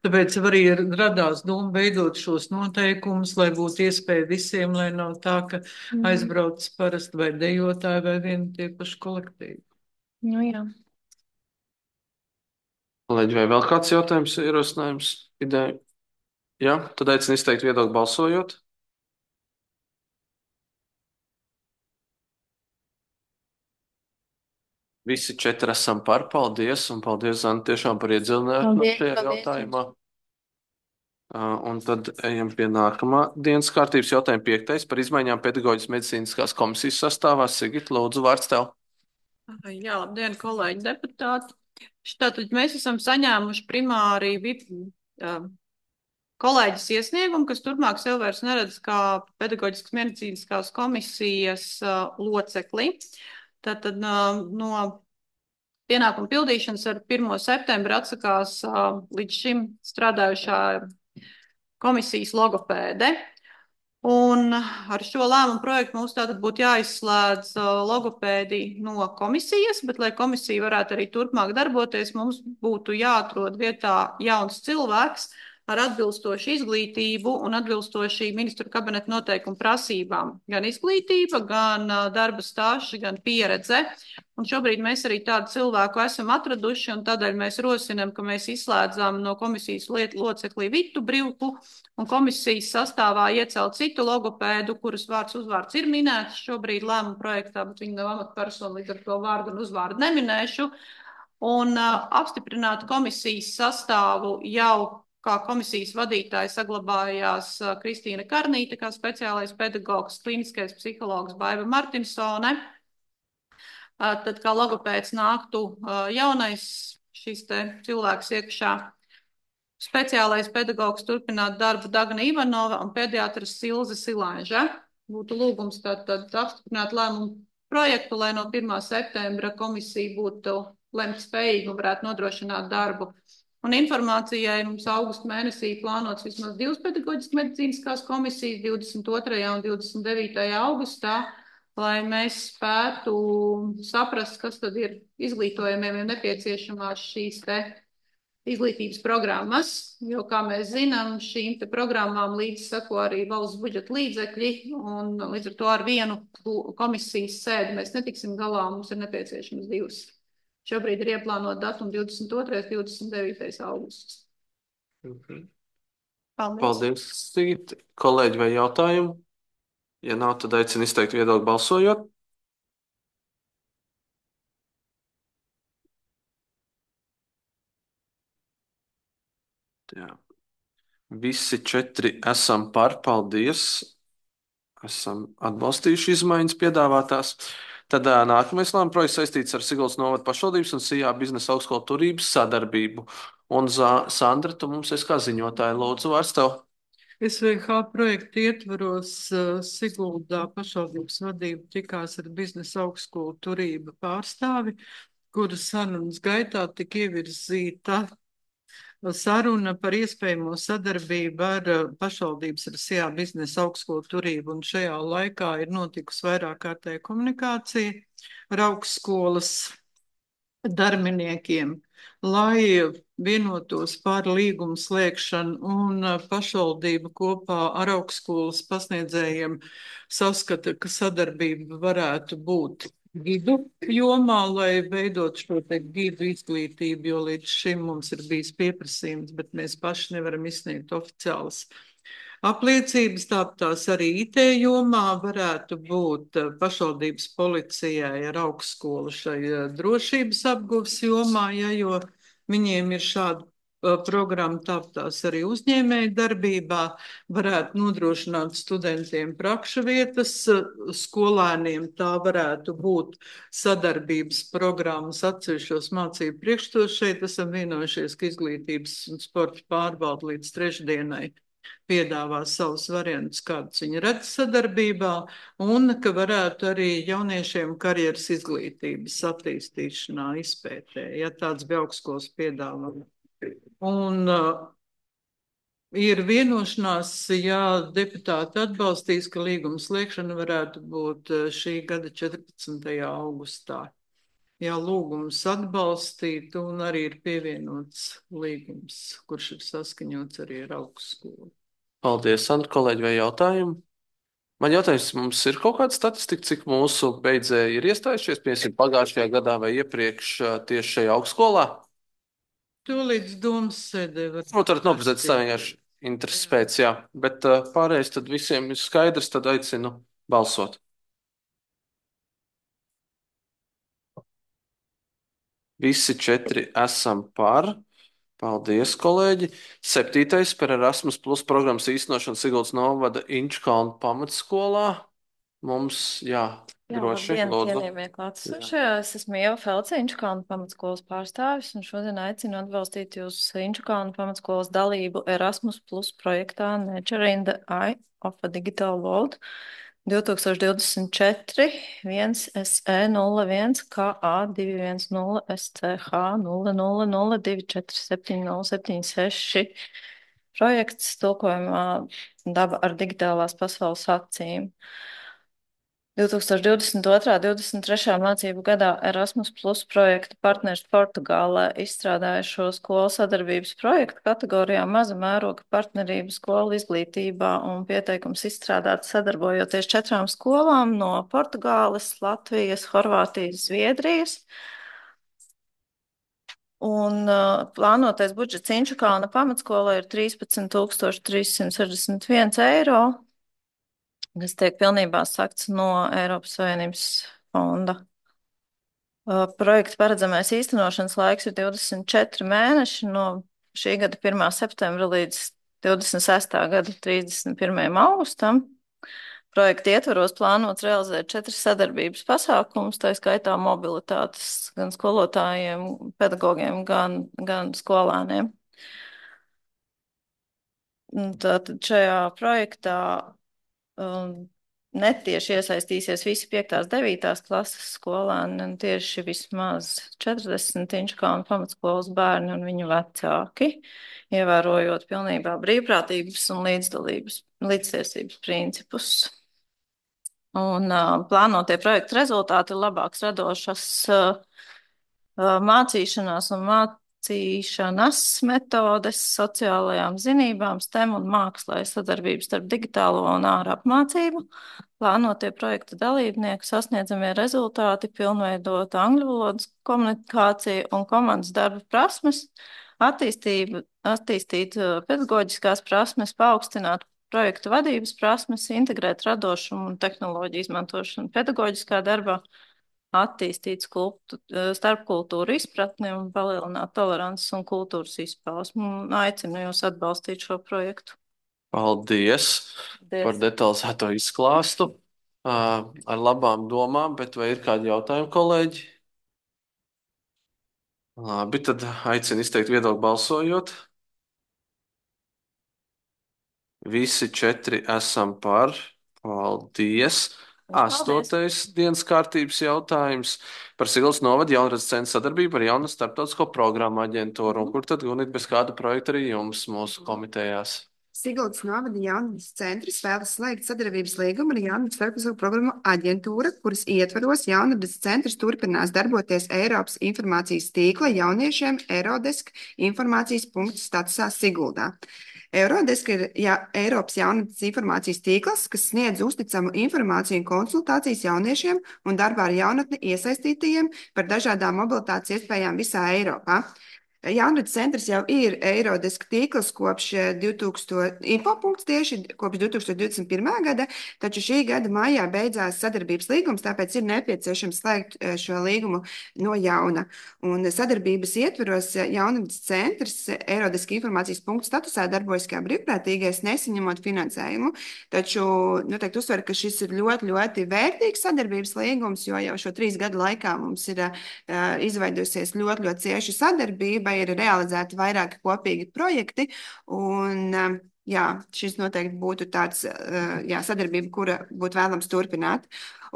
tāpēc arī radās doma veidot šos noteikumus, lai būtu iespēja visiem, lai nav tā, ka aizbrauc parasti vai dejotāji vai vieni tie paši kolektīvi. Nu jā. Kolēģi, vai vēl kāds jautājums, ierosinājums, ideja? Jā, tad aicinu izteikt viedokli balsojot. Visi četri esam par, paldies, un paldies, Zana, tiešām par iedzilinājumu šajā jautājumā. Un tad ejam pie nākamā dienas kārtības jautājuma piektais par izmaiņām pedagoģijas medicīniskās komisijas sastāvā. Sigit, lūdzu, vārds tev. Jā, labdien, kolēģi deputāti. Tātad mēs esam saņēmuši primāri uh, kolēģis iesniegumu, kas turpmāk sev vairs neredz kā pedagoģiskas medicīniskās komisijas uh, locekli. Tātad uh, no pienākumu pildīšanas ar pirmo septembri atsakās uh, līdz šim strādājušā komisijas logopēde. Un ar šo lēmumu projektu mums tātad būtu jāizslēdz logopēdi no komisijas, bet, lai komisija varētu arī turpmāk darboties, mums būtu jāatrod vietā jauns cilvēks ar atbilstošu izglītību un atbilstoši ministru kabineta noteikumu prasībām. Gan izglītība, gan darba stāsts, gan pieredze. Un šobrīd mēs arī tādu cilvēku esam atraduši, un tādēļ mēs rosinam, ka mēs izslēdzam no komisijas locekli Vitu Brivku, un komisijas sastāvā iecelt citu logopēdu, kuras vārds uzvārds ir minēts šobrīd lēmuma projektā, bet viņi nav amatpersona, līdz ar to vārdu un uzvārdu neminēšu. Un uh, apstiprināt komisijas sastāvu jau kā komisijas vadītāja saglabājās uh, Kristīna Karnīte, kā speciālais pedagogs, kliniskais psihologs Baiva Martinsone. Uh, tad kā logopēds nāktu uh, jaunais šis te cilvēks iekšā. speciālais pedagogs turpināt darbu Dagna Ivanova un pediatrs Silze Silāņža. Būtu lūgums tātad apstiprināt lēmumu projektu, lai no pirmā septembra komisija būtu lemt spējīga un varētu nodrošināt darbu. Un informācijai mums augusta mēnesī plānots vismaz divas pedagoģiski medicīniskās komisijas divdesmit otrajā un divdesmit devītajā augustā, lai mēs spētu saprast, kas tad ir izglītojumiem un nepieciešamās šīs te izglītības programmas, jo, kā mēs zinām, šīm te programmām līdz sako arī valsts budžeta līdzekļi, un līdz ar to ar vienu komisijas sēdi mēs netiksim galā, mums ir nepieciešams divas. Šobrīd ir ieplānot datumu divdesmit otrais, divdesmit devītais augusts. Mhm. Paldies. Paldies, Sigita. Kolēģi, vai jautājumi? Ja nav, tad aicinu izteikt viedokli balsojot. Jā. Visi četri esam par, paldies. Esam atbalstījuši izmaiņas piedāvātās. Tad ā, nākamais lēmuma projekts saistīts ar Siguldas novada pašvaldības un Sijā biznesa augstskolu turības sadarbību. Un Zā- Sandra, tu mums esi kā ziņotāja, lūdzu, vārds tev. S V H projekta ietvaros uh, Siguldā pašvaldības vadība tikās ar biznesa augstskolu turība pārstāvi, kuras sarunas gaitā tika ievirzīta saruna par iespējamo sadarbību ar uh, pašvaldības ar Sijā biznesa augstskolu turību, un šajā laikā ir notikusi vairāk kārtēja komunikācija ar augstskolas darbiniekiem, lai vienotos par līgumu slēgšanu, un uh, pašvaldība kopā ar augstskolas pasniedzējiem saskata, ka sadarbība varētu būt gidu jomā, lai veidot šo te gidu izglītību, jo līdz šim mums ir bijis pieprasījums, bet mēs paši nevaram izsniegt oficiālas apliecības. Tāpēc arī I T jomā varētu būt uh, pašvaldības policijai ar augstskolu šai uh, drošības apguvs jomā, ja, jo viņiem ir šāda uh, programma, tāpēc arī uzņēmēju darbībā varētu nodrošināt studentiem prakšu vietas, uh, skolēniem tā varētu būt sadarbības programmas atsevišķos mācību priekšstos. Šeit esam vienojušies, ka izglītības un sporta pārvalde līdz trešdienai piedāvā savus variantus, kādus viņi redz sadarbībā, un ka varētu arī jauniešiem karjeras izglītības attīstīšanā izpētē, ja tāds bija augstskolas piedāvājums. Un uh, ir vienošanās, ja deputāti atbalstīs, ka līguma slēgšana varētu būt uh, šī gada četrpadsmitajā augustā. Jā, lūgums atbalstīt, un arī ir pievienots līgums, kurš ir saskaņots arī ar augstskolu. Paldies, Sandra, kolēģi, vai jautājumi? Man jautājums, mums ir kaut kāda statistika, cik mūsu beidzēji ir iestājušies, piemēram, pagājušajā gadā vai iepriekš ā, tieši šajā augstskolā? To līdz domas sēdē var. Nu, tad noprezēt tā vienkārši intereses pēc, jā. Bet uh, pārējais tad visiem ir skaidrs, tad aicinu balsot. Visi četri esam par. Paldies, kolēģi. Septītais par Erasmus Plus programmas īstenošanu Siguldas novada Inčkalnu pamatskolā. Mums, jā, Jā, droši, labdien, lūdzu. cienījamie klātesošie. Es esmu Ieva Felce, Inčukalnu pamatskolas pārstāvis, un šodien aicinu atbalstīt jūs Inčukalnu pamatskolas dalību Erasmus Plus projektā Nature in the Eye of a Digital World divtūkstoš divdesmit četri viens S E nulle viens K A divi viens nulle S C H nulle nulle nulle divi četri septiņi nulle septiņi seši. Projekts tulkojumā daba ar digitālās pasaules acīm. divtūkstoš divdesmit otrā divdesmit trešā mācību gadā Erasmus Plus projekta partners Portugālē izstrādāja šo skolu sadarbības projektu kategorijā maza mēroga partnerība skolu izglītībā, un pieteikums izstrādāts sadarbojoties četrām skolām no Portugāles, Latvijas, Horvātijas, Zviedrijas. Un uh, plānotais budžets Inčukalna pamatskolai ir trīspadsmit tūkstoši trīs simti sešdesmit viens eiro, kas tiek pilnībā sakts no Eiropas Savienības fonda. Uh, projekta paredzamais īstenošanas laiks ir divdesmit četri mēneši no šī gada pirmā septembra līdz divdesmit sestā gada trīsdesmit pirmajam augustam. Projekta ietvaros plānots realizēt četras sadarbības pasākumus, tā skaitā mobilitātes gan skolotājiem, pedagogiem, gan, gan skolēniem. Tātad šajā projektā um, netieši iesaistīsies visi piektās, devītās klases skolēni, un tieši vismaz četrdesmit Inčukānu pamatskolas bērni un viņu vecāki, ievērojot pilnībā brīvprātības un līdzdalības, līdztiesības principus. Un uh, plānotie projekta rezultāti ir labāks radošas uh, uh, mācīšanās un mācīšanas metodes sociālajām zinībām, STEM un mākslai, sadarbības starp digitālo un ārā apmācību. Plānotie projekta dalībnieku sasniedzamie rezultāti pilnveidot angļu valodas komunikāciju un komandas darba prasmes, attīstību, attīstīt uh, pedagoģiskās prasmes, paaugstināt projektu vadības prasmes, integrēt radošumu un tehnoloģiju izmantošanu pedagoģiskā darbā, attīstīt skulptu, starpkultūru izpratni un palielināt tolerances un kultūras izpausmu. Aicinu jūs atbalstīt šo projektu. Paldies, Paldies. par detalizēto izklāstu. Uh, ar labām domām, bet vai ir kādi jautājumi, kolēģi? Labi, tad aicinu izteikt viedokli balsojot. Visi četri esam par. Paldies. Astotais dienas kārtības jautājums par Siguldas novada jaunradas centra sadarbību ar jaunu starptautisko programmu aģentūru. Un kur tad, Gunit, bez kāda projekta arī jums mūsu komitejās? Siguldas novada jaunradas centrs vēlas slēgt sadarbības līgumu ar jaunu starptautisko programmu aģentūru, kuras ietvaros jaunradas centrs turpinās darboties Eiropas informācijas tīkla jauniešiem Eurodesk informācijas punktu statusā Siguldā. Eurodesk ir ja, Eiropas jaunatnes informācijas tīkls, kas sniedz uzticamu informāciju un konsultācijas jauniešiem un darbā ar jaunatni iesaistītajiem par dažādām mobilitātes iespējām visā Eiropā. Jaunatnes centrs jau ir Eurodesk tīkls kopš divtūkstoši, infopunkts tieši kopš divi tūkstoši divdesmit pirmā gada, taču šī gada maijā beidzās sadarbības līgums, tāpēc ir nepieciešams slēgt šo līgumu no jauna. Un sadarbības ietveros Jaunatnes centrs Eurodesk informācijas punktu statusā darbojas kā brīvprātīgais, nesaņemot finansējumu, taču noteikti uzsver, ka šis ir ļoti, ļoti vērtīgs sadarbības līgums, jo jau šo trīs gadu laikā mums ir uh, izveidojusies ļoti, ļoti cieša sadarbība, ir realizēti vairāki kopīgi projekti, un jā, šis noteikti būtu tāds jā, sadarbība, kura būtu vēlams turpināt.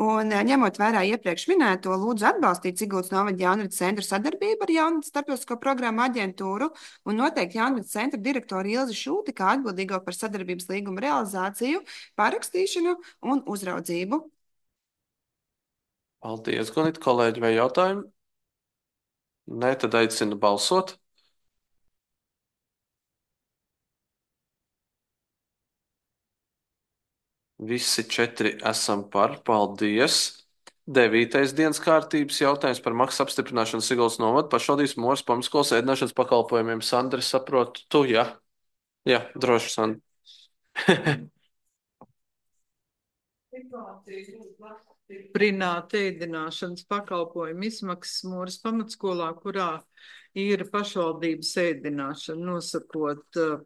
Un ņemot vērā iepriekš minēto, lūdzu atbalstīt Siguldas novada jaunradas centra sadarbību ar jaunradas starptautisko programmu aģentūru un noteikti jaunradas centra direktoru Ilzi Šulti kā atbildīgo par sadarbības līguma realizāciju, parakstīšanu un uzraudzību. Paldies, Gunit, kolēģi, vai jautājumi? Nē, tad aicinu balsot. Visi četri esam par. Paldies. Devītais dienas kārtības jautājums par maksas apstiprināšanu Siguldas novada pašvaldības Moras pamatskolas ēdināšanas pakalpojumiem. Sandra, saprotu, tu, jā? Jā, droši, Sandra. Prināta ēdināšanas pakalpojumu izmaksas Moras pamatskolā, kurā ir pašvaldības ēdināšana, nosakot uh,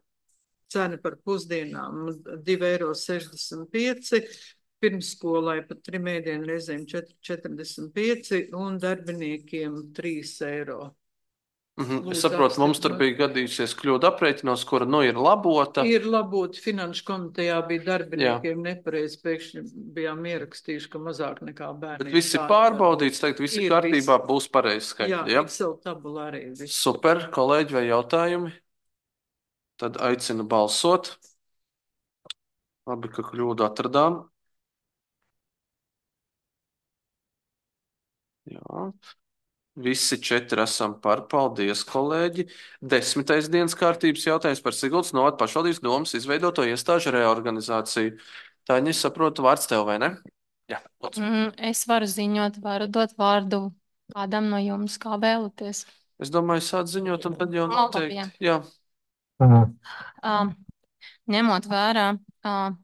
cenu par pusdienām divi eiro sešdesmit pieci, pirmsskolai pat trim ēdienu reizēm četrdesmit pieci un darbiniekiem trīs eiro. Mhm. Es saprotu, mums tur bija gadījusies kļūda aprēķinos, kura nu ir labota. Ir labota, finanšu komitejā bija darbiniekiem nepareizi, pēkšņi bijām ierakstījuši, ka mazāk nekā bērni. Bet visi pārbaudīts, teikt, visi ir kārtībā, visi. Būs pareizi skaitļi. Jā, ja? Excel tabula arī. Visi. Super, kolēģi, vai jautājumi? Tad aicinu balsot. Labi, ka kļūdu atradām. Jā. Visi četri esam par. Paldies, kolēģi. Desmitais dienas kārtības jautājums par Siguldas novada pašvaldības domas izveidoto iestāžu reorganizāciju. Tāņa, es saprotu, vārds tev, vai ne? Jā, mm, es varu ziņot, varu dot vārdu kādam no jums, kā vēlaties. Es domāju, sāc ziņot, un tad jau noteikti. Jā. Uh, ņemot vērā uh,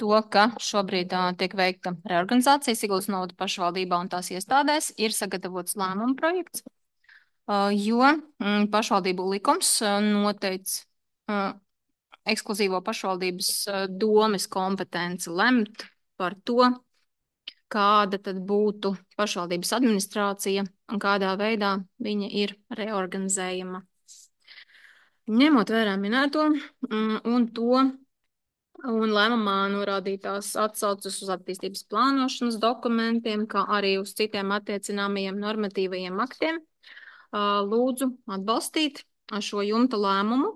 to, ka šobrīd uh, tiek veikta reorganizācija Siguldas novada pašvaldībā un tās iestādēs, ir sagatavots lēmuma projekts, uh, jo mm, pašvaldību likums uh, noteic uh, ekskluzīvo pašvaldības uh, domes kompetenci lemt par to, kāda tad būtu pašvaldības administrācija un kādā veidā viņa ir reorganizējama. Ņemot vērā minēto mm, un to un lēmumā norādītās atsaucas uz attīstības plānošanas dokumentiem, kā arī uz citiem attiecināmajiem normatīvajiem aktiem, ā, lūdzu atbalstīt šo jumta lēmumu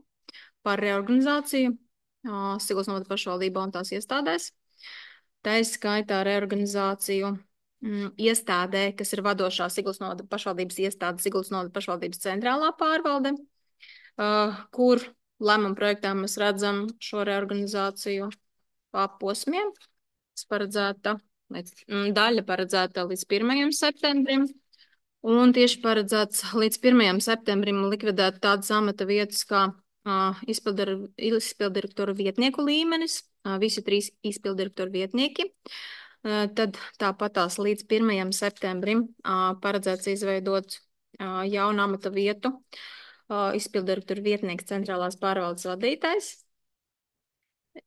par reorganizāciju ā, Siguldas novada pašvaldībā un tās iestādēs. Tā izskaitā reorganizāciju mm, iestādē, kas ir vadošā Siguldas novada pašvaldības iestāde, Siguldas novada pašvaldības centrālā pārvalde, uh, kur lēmuma projektā mēs redzam šo reorganizāciju pa posmiem. Tas paredzēta, līdz, mm, daļa paredzēta līdz pirmajam septembrim, un tieši paredzēts līdz pirmajam septembrim likvidēt tādas amata vietas kā uh, izpildir- izpildirektoru vietnieku līmenis, uh, visi trīs izpildirektoru vietnieki. Uh, Tad tāpatās līdz pirmajam septembrim uh, paredzēts izveidot uh, jaunu amata vietu, uh, izpildirektoru vietnieks centrālās pārvaldes vadītājs,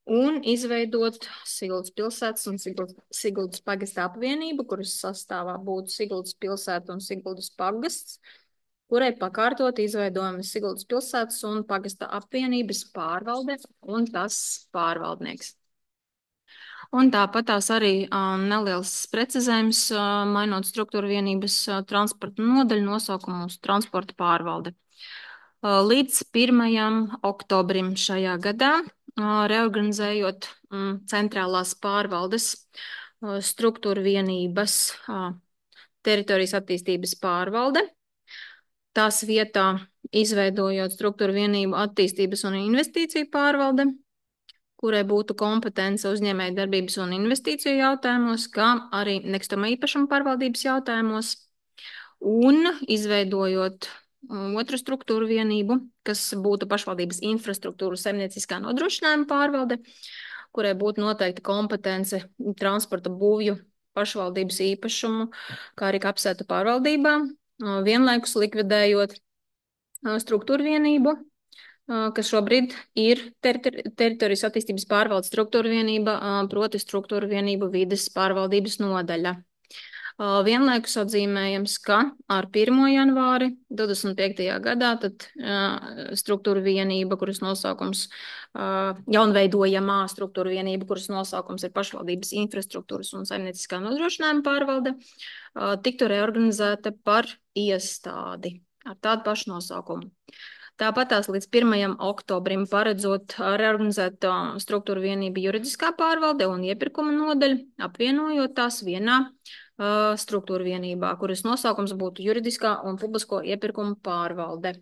un izveidot Siguldas pilsētas un Siguldas, Siguldas pagasta apvienību, kuras sastāvā būtu Siguldas pilsēta un Siguldas pagasts, kurai pakārtot izveidojami Siguldas pilsētas un pagasta apvienības pārvalde un tas pārvaldnieks. Un tāpat tās arī um, neliels precizējums, uh, mainot struktūra vienības uh, transporta nodaļu nosaukumu uz transporta pārvalde. Uh, līdz pirmajam oktobrim šajā gadā, uh, reorganizējot um, centrālās pārvaldes uh, struktūra vienības uh, teritorijas attīstības pārvalde, tās vietā izveidojot struktūra vienību attīstības un investīciju pārvalde, kurai būtu kompetence uzņēmēju darbības un investīciju jautājumos, kā arī nekustamā īpašuma pārvaldības jautājumos, un izveidojot um, otru struktūru vienību, kas būtu pašvaldības infrastruktūras saimnieciskā nodrošinājuma pārvalde, kurai būtu noteikta kompetence transporta būvju pašvaldības īpašumu, kā arī kapsētu pārvaldībā, uh, vienlaikus likvidējot uh, struktūru vienību, kas šobrīd ir teritori teritorijas attīstības pārvaldes struktūra vienība, proti struktūra vienību vides pārvaldības nodaļa. Vienlaikus atzīmējams, ka ar pirmo janvāri divdesmit piektajā gadā tad struktūra vienība, kuras nosaukums, jaunveidojamā struktūra vienība, kuras nosaukums ir pašvaldības infrastruktūras un saimnieciskā nodrošinājuma pārvalde, tiktu reorganizēta par iestādi ar tādu pašu nosaukumu. Tāpat tās līdz pirmajam oktobrim paredzot reorganizēt struktūra vienību juridiskā pārvalde un iepirkuma nodaļa, apvienojot tās vienā uh, struktūra vienībā, kuras nosaukums būtu juridiskā un publisko iepirkuma pārvalde.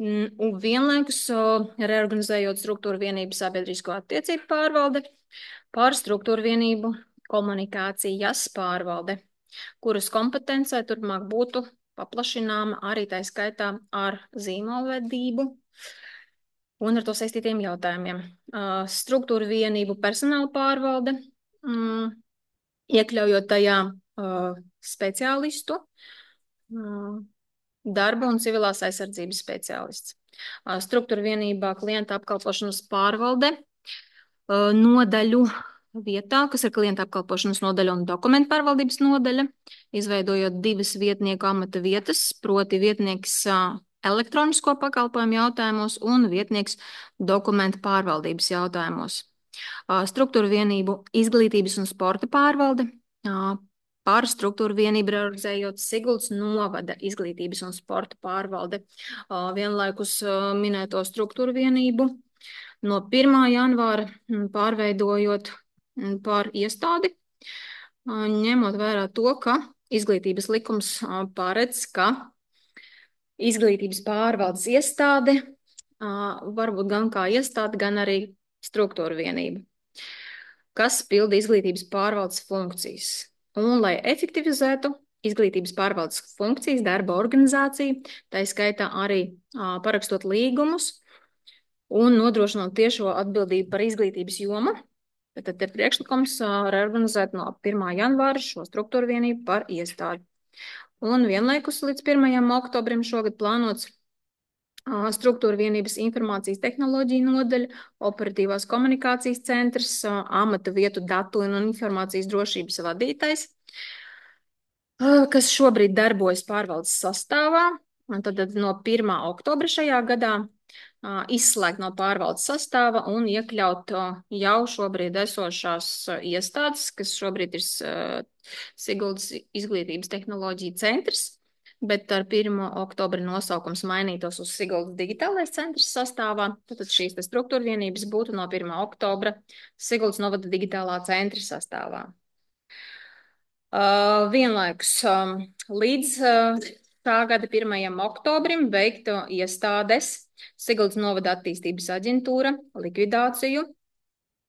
Un vienlaikus uh, reorganizējot struktūra vienību sabiedrisko attiecību pārvalde par struktūra vienību komunikācijas pārvalde, kuras kompetencē turpmāk būtu paplašināma arī tā skaitā ar zīmolvedību un ar to saistītiem jautājumiem. Uh, struktūra vienību personāla pārvalde, um, iekļaujot tajā uh, speciālistu, uh, darba un civilās aizsardzības speciālists. Uh, struktūra vienībā klienta apkalpošanas pārvalde, uh, nodaļu vietā, kas ir klienta apkalpošanas nodaļa un dokumentu pārvaldības nodaļa, izveidojot divas vietnieku amata vietas, proti vietnieks elektronisko pakalpojumu jautājumos un vietnieks dokumentu pārvaldības jautājumos. Struktūra vienību izglītības un sporta pārvalde, par struktūra vienību reorganizējot Siguldas novada izglītības un sporta pārvalde, vienlaikus minēto struktūra vienību no pirmā janvāra pārveidojot par iestādi, ņemot vērā to, ka izglītības likums paredz, ka izglītības pārvaldes iestāde var būt gan kā iestāde, gan arī struktūra vienība, kas pilda izglītības pārvaldes funkcijas. Un, lai efektivizētu izglītības pārvaldes funkcijas, darba organizācija, tā skaitā arī parakstot līgumus un nodrošinot tiešo atbildību par izglītības jomu, tad ir priekšlikums reorganizēt no pirmā janvāra šo struktūra vienību par iestādi. Un vienlaikus līdz pirmajam oktobrim šogad plānots struktūra vienības informācijas tehnoloģija nodaļa, operatīvās komunikācijas centrs, amata vietu datu un informācijas drošības vadītājs, kas šobrīd darbojas pārvaldes sastāvā. Un tad no pirmā oktobra šajā gadā uh, izslēgt no pārvaldes sastāva un iekļaut uh, jau šobrīd esošās uh, iestādes, kas šobrīd ir uh, Siguldas izglītības tehnoloģija centrs, bet ar pirmo oktobra nosaukums mainītos uz Siguldas digitālais centrs sastāvā. Tad šīs struktūra vienības būtu no pirmā oktobra Siguldas novada digitālā centra sastāvā. Uh, vienlaikus um, līdz uh, tā gada pirmajam oktobrim veiktu iestādes Siguldas novada attīstības aģentūra likvidāciju,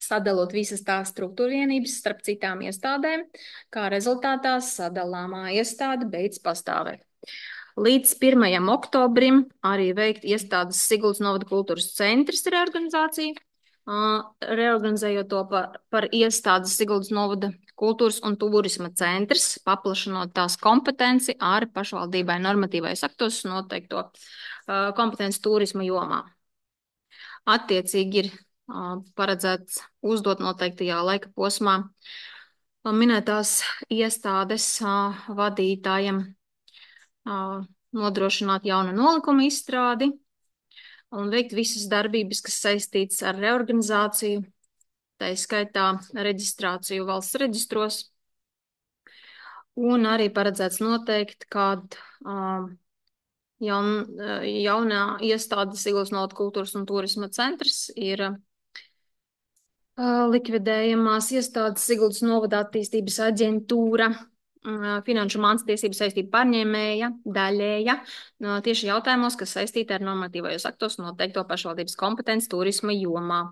sadalot visas tās struktūra vienības starp citām iestādēm, kā rezultātā sadalāmā iestāde beidz pastāvēt. Līdz pirmajam oktobrim arī veikt iestādes Siguldas novada kultūras centrs reorganizācija, uh, reorganizējot to par, par iestādes Siguldas novada kultūras un turisma centrs, paplašinot tās kompetenci ar pašvaldībai normatīvais aktos noteikto uh, kompetenci turisma jomā. Attiecīgi ir uh, paredzēts uzdot noteiktajā laika posmā uh, minētās iestādes uh, vadītājiem uh, nodrošināt jaunu nolikumu izstrādi un veikt visas darbības, kas saistītas ar reorganizāciju, tā skaitā reģistrāciju valsts reģistros, un arī paredzēts noteikt, kad uh, jaun, uh, jaunā iestāde Siguldas novada kultūras un turisma centrs ir uh, likvidējamās iestādes Siguldas novada attīstības aģentūra, uh, finanšu mākslas tiesību saistību pārņēmēja, daļēja, uh, tieši jautājumos, kas saistīti ar normatīvajos aktos noteikto pašvaldības kompetenci turisma jomā.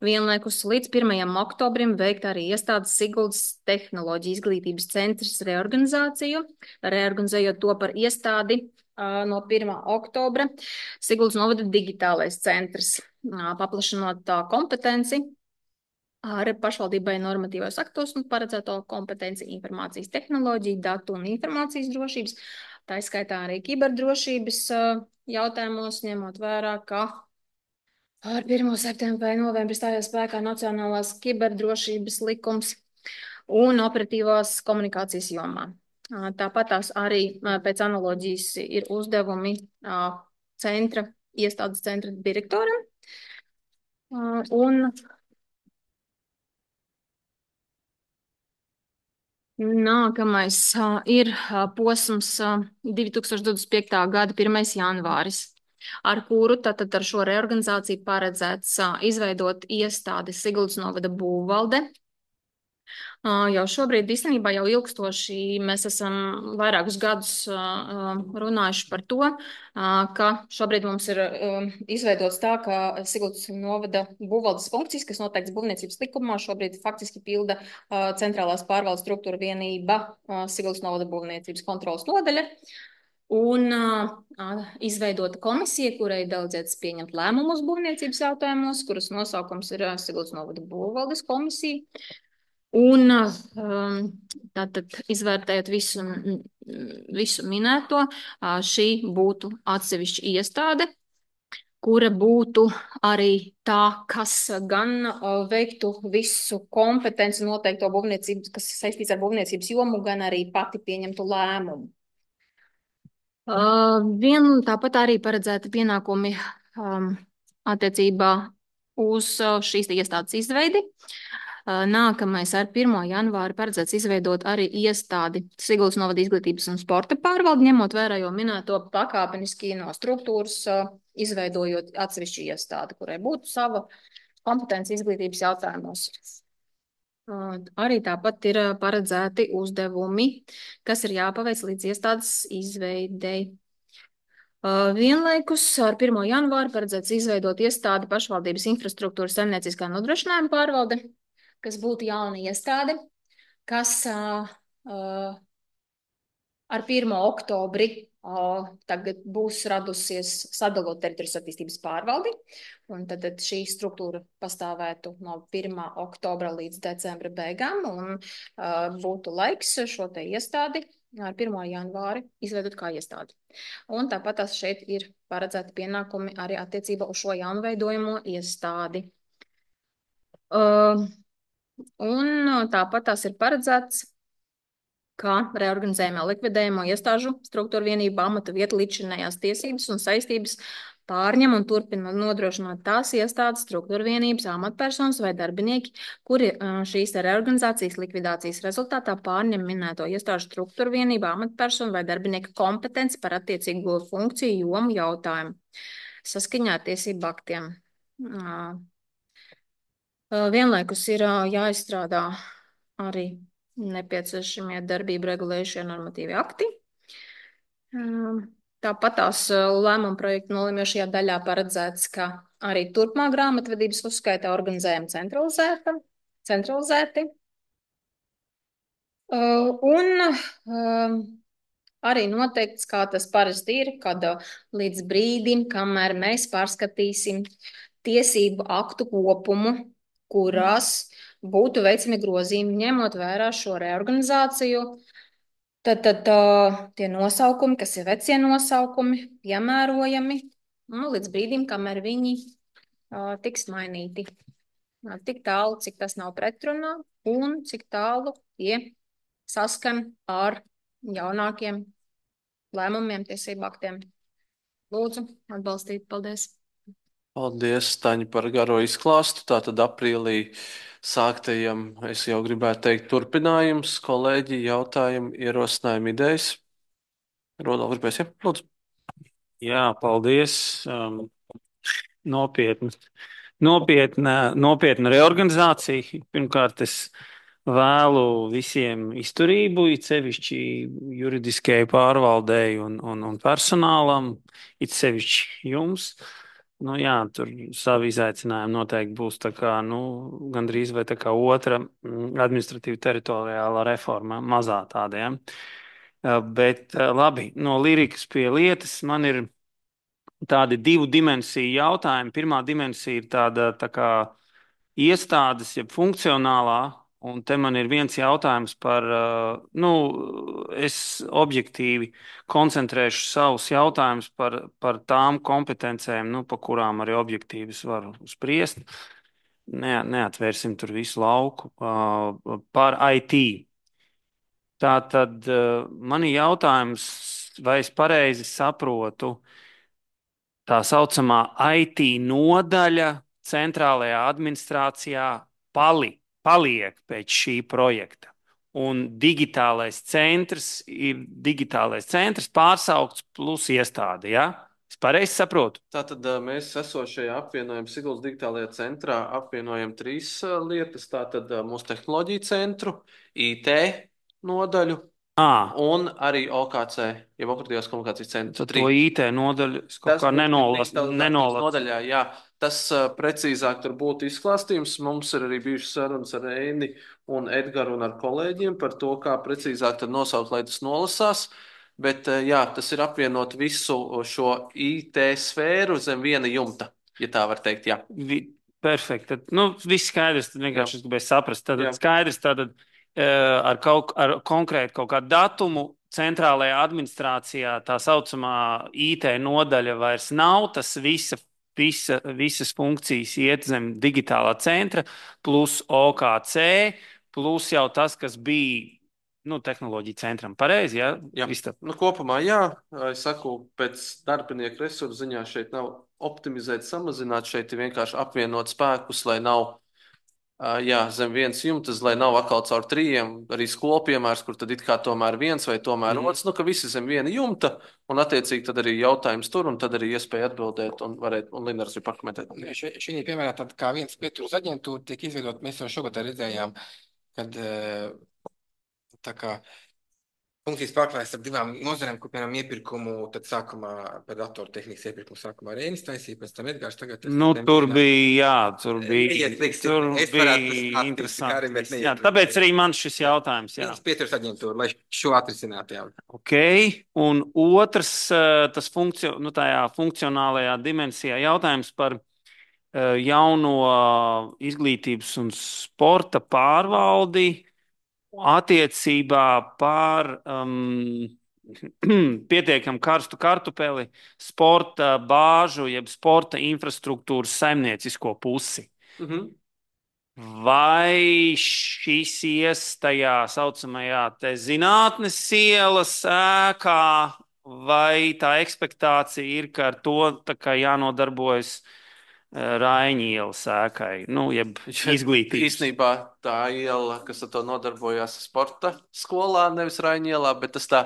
Vienlaikus līdz pirmajam oktobrim veikt arī iestādes Siguldas tehnoloģija izglītības centrs reorganizāciju, reorganizējot to par iestādi uh, no pirmā oktobra Siguldas novada digitālais centrs, uh, paplašinot tā kompetenci ar pašvaldībai normatīvos aktos un paredzēto kompetenci informācijas tehnoloģiju, datu un informācijas drošības, tā skaitā arī kiberdrošības uh, jautājumos, ņemot vērā, ka ar pirmo septembra vai novembri stājās spēkā Nacionālās kiberdrošības likums un operatīvās komunikācijas jomā. Tāpat tās arī pēc analoģijas ir uzdevumi centra, iestādes centra direktoram. Un nākamais ir posms divi tūkstoši divdesmit piektā gada pirmais janvāris. Ar kuru tātad ar šo reorganizāciju paredzēts uh, izveidot iestādi Siguldas novada būvvalde. Uh, jau šobrīd īstenībā jau ilgstoši mēs esam vairākus gadus uh, runājuši par to, uh, ka šobrīd mums ir uh, izveidots tā, ka Siguldas novada būvvaldes funkcijas, kas noteikts būvniecības likumā, šobrīd faktiski pilda uh, centrālās pārvaldes struktūra vienība uh, Siguldas novada būvniecības kontrolas nodaļa. Un uh, izveidota komisija, kurai daudzietas pieņemt lēmumus būvniecības jautājumos, kuras nosaukums ir uh, Siguldas novada būvvaldes komisija. Un um, tātad izvērtējot visu, visu minēto, uh, šī būtu atsevišķa iestāde, kura būtu arī tā, kas gan uh, veiktu visu kompetenci noteikto būvniecības, kas saistīts ar būvniecības jomu, gan arī pati pieņemtu lēmumu. Uh, vien tāpat arī paredzēti pienākumi um, attiecībā uz uh, šīs iestādes izveidi. Uh, nākamais ar pirmo janvāri paredzēts izveidot arī iestādi Siguldas novada izglītības un sporta pārvaldi, ņemot vērā jau minēto pakāpeniski no struktūras, uh, izveidojot atsevišķu iestādi, kurai būtu sava kompetence izglītības jautājumos. Uh, arī tāpat ir paredzēti uzdevumi, kas ir jāpaveic līdz iestādes izveidei. Uh, vienlaikus ar pirmo janvāru paredzēts izveidot iestādi pašvaldības infrastruktūras saimnieciskā nodrošinājuma pārvalde, kas būtu jauna iestāde, kas uh, uh, ar pirmo oktobri uh, tagad būs radusies sadalot teritorijas attīstības pārvaldi. Un tad šī struktūra pastāvētu no pirmā oktobra līdz decembra beigām un uh, būtu laiks šo te iestādi ar pirmo janvāri izveidot kā iestādi. Un tāpat tās šeit ir paredzēti pienākumi arī attiecībā uz šo jaunveidojamo iestādi. Uh, un tāpat tās ir paredzēts, kā reorganizējumā likvidējamo iestāžu struktūra vienība amata vieta līdzšinējās tiesības un saistības pārņem un turpina nodrošināt tās iestādes, struktūra vienības, amatpersonas vai darbinieki, kuri šīs reorganizācijas likvidācijas rezultātā pārņem minēto iestāžu struktūra vienību, amatpersonu vai darbinieku kompetenci par attiecīgo funkciju jomu jautājumu saskaņā ar tiesību aktiem. Vienlaikus ir jāizstrādā arī nepieciešamie darbību regulējušie normatīvi akti. Tāpat tās lēmuma projekta nolemjošajā daļā paredzēts, ka arī turpmāk grāmatvedības uzskaitā organizējam centralizēta, centralizēti. Un arī noteikts, kā tas parasti ir, kad līdz brīdim, kamēr mēs pārskatīsim tiesību aktu kopumu, kurās būtu veicami grozījumi, ņemot vērā šo reorganizāciju, Tad, tad tā, tie nosaukumi, kas ir vecie nosaukumi, piemērojami, nu, līdz brīdim, kamēr viņi uh, tiks mainīti. Uh, tik tālu, cik tas nav pretrunā, un cik tālu tie saskan ar jaunākiem lēmumiem, tiesību aktiem. Lūdzu, atbalstīt. Paldies. Paldies, Taņa, par garo izklāstu. Tātad aprīlī sāktajam, es jau gribētu teikt, turpinājums, kolēģi, jautājumi, ierosinājumi, idejas. Rodolf, gribēs, ja? Lūdzu. Jā, paldies. Um, nopietni. Nopietna, nopietna reorganizācija. Pirmkārt, es vēlu visiem izturību, it sevišķi juridiskajai pārvaldei un, un, un personālam, it sevišķi jums. Nu, jā, tur savi izaicinājumi noteikti būs tā kā, nu, gandrīz vai tā kā otra administratīva teritoriālā reforma, mazā tāda, ja. Bet labi, no lirikas pie lietas man ir tādi divu dimensiju jautājumi. Pirmā dimensija ir tāda tā kā iestādes, jeb funkcionālā, un te man ir viens jautājums par, nu, es objektīvi koncentrēšu savus jautājumus par, par tām kompetencēm, nu, pa kurām arī objektīvi es varu spriest. Ne, neatvērsim tur visu lauku. Par I T. Tātad man ir jautājums, vai es pareizi saprotu, tā saucamā I T nodaļa centrālajā administrācijā pali, paliek pēc šī projekta. Un digitālais centrs ir digitālais centrs pārsaukts plus iestāde, ja? Es pareizi saprotu? Tātad mēs esošajā apvienojam Siguldas digitālajā centrā apvienojam trīs lietas. Tātad mūsu tehnoloģiju centru, I T nodaļu, À. un arī O K C, jau operatīvās komunikācijas centrs. Tad to I T nodaļu es kaut kā nenolasu. Nodaļā, jā. Tas uh, precīzāk tur būtu izklāstījums. Mums ir arī bijušas sarunas ar Eini un Edgaru un ar kolēģiem par to, kā precīzāk tad nosaukt, lai tas nolasās. Bet uh, jā, tas ir apvienot visu šo I T sfēru zem viena jumta, ja tā var teikt, jā. Vi, perfekt. Tad, nu, viss skaidrs, tad vienkārši es gribēju saprast. Tad skaidrs, tad ar, kaut, ar konkrētu kaut kādu datumu centrālajā administrācijā tā saucamā I T nodaļa vairs nav. Tas visa, visa, visas funkcijas iet zem digitālā centra, plus O K C, plus jau tas, kas bija nu, tehnoloģija centram. Pareizi, ja? Jā, nu, kopumā jā. Es saku, pēc darbinieku resursu ziņā šeit nav optimizēt, samazināt. Šeit ir vienkārši apvienot spēkus, lai nav jā, zem viens jumtas, lai nav atkal caur trījiem, arī skolu piemērs, kur tad it kā tomēr viens vai tomēr mm. otrs, nu, ka visi zem viena jumta, un attiecīgi tad arī jautājums tur, un tad arī iespēja atbildēt, un varēt, un Linars ir pakomentēt. Šī piemērā tad kā viens pieturas aģentūra tiek izveidot, mēs jau šogad redzējām, kad tā kā funkcijas pārklājas ar divām nozarēm, kur, piemēram, iepirkumu, tad sākumā par datortehnikas iepirkumu sākumā Reinis taisīja, pēc tam Edgars tagad... Nu, tur bija, jā, tur bija, tur bija interesanti. Jā, tāpēc arī man šis jautājums, jā. Viens pieturas aģentūra, lai šo atrisinātu, jā. Ok, un otrs, tas funkcio, nu, tajā funkcionālajā dimensijā jautājums par jauno izglītības un sporta pārvaldi, attiecībā par um, pietiekam karstu kartupeli sporta bāžu, jeb sporta infrastruktūras saimniecisko pusi. Mhm. Vai šis ies tajā saucamajā te zinātnes ielas ēkā, vai tā ekspektācija ir, ka ar to tā kā jānodarbojas Raiņa ielas ēkai, nu, jeb izglītības. Īsnībā tā iela, kas ar to nodarbojās sporta skolā, nevis Raiņa ielā, bet tas tā,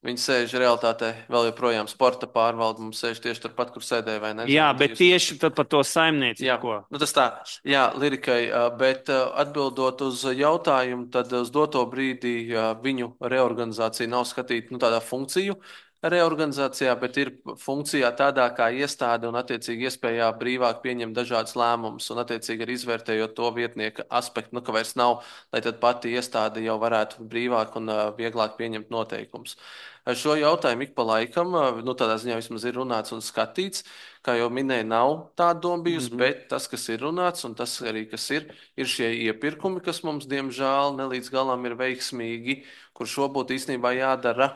viņi sēž realitātē vēl joprojām sporta pārvalde, mums sēž tieši turpat, kur sēdēja, vai ne? Jā, bet tieši tad par to saimniecību. Jā, ko? nu tas tā, jā, Lirikai, bet atbildot uz jautājumu, tad uz doto brīdī viņu reorganizācija nav skatīta, nu, tādā funkciju reorganizācijā, bet ir funkcijā tādā kā iestāde un attiecīgi iespējā brīvāk pieņemt dažādas lēmumus un attiecīgi arī izvērtējot to vietnieka aspektu, nu, ka vairs nav, lai tad pati iestāde jau varētu brīvāk un uh, vieglāk pieņemt noteikumus. Šo jautājumu ik pa laikam, nu, tādā ziņā vismaz ir runāts un skatīts, kā jau minēju, nav tāda doma bijusi, mm-hmm. bet tas, kas ir runāts un tas arī, kas ir, ir šie iepirkumi, kas mums, diemžēl, ne līdz galam ir veiksmīgi, kur šo būtu īstenībā jādara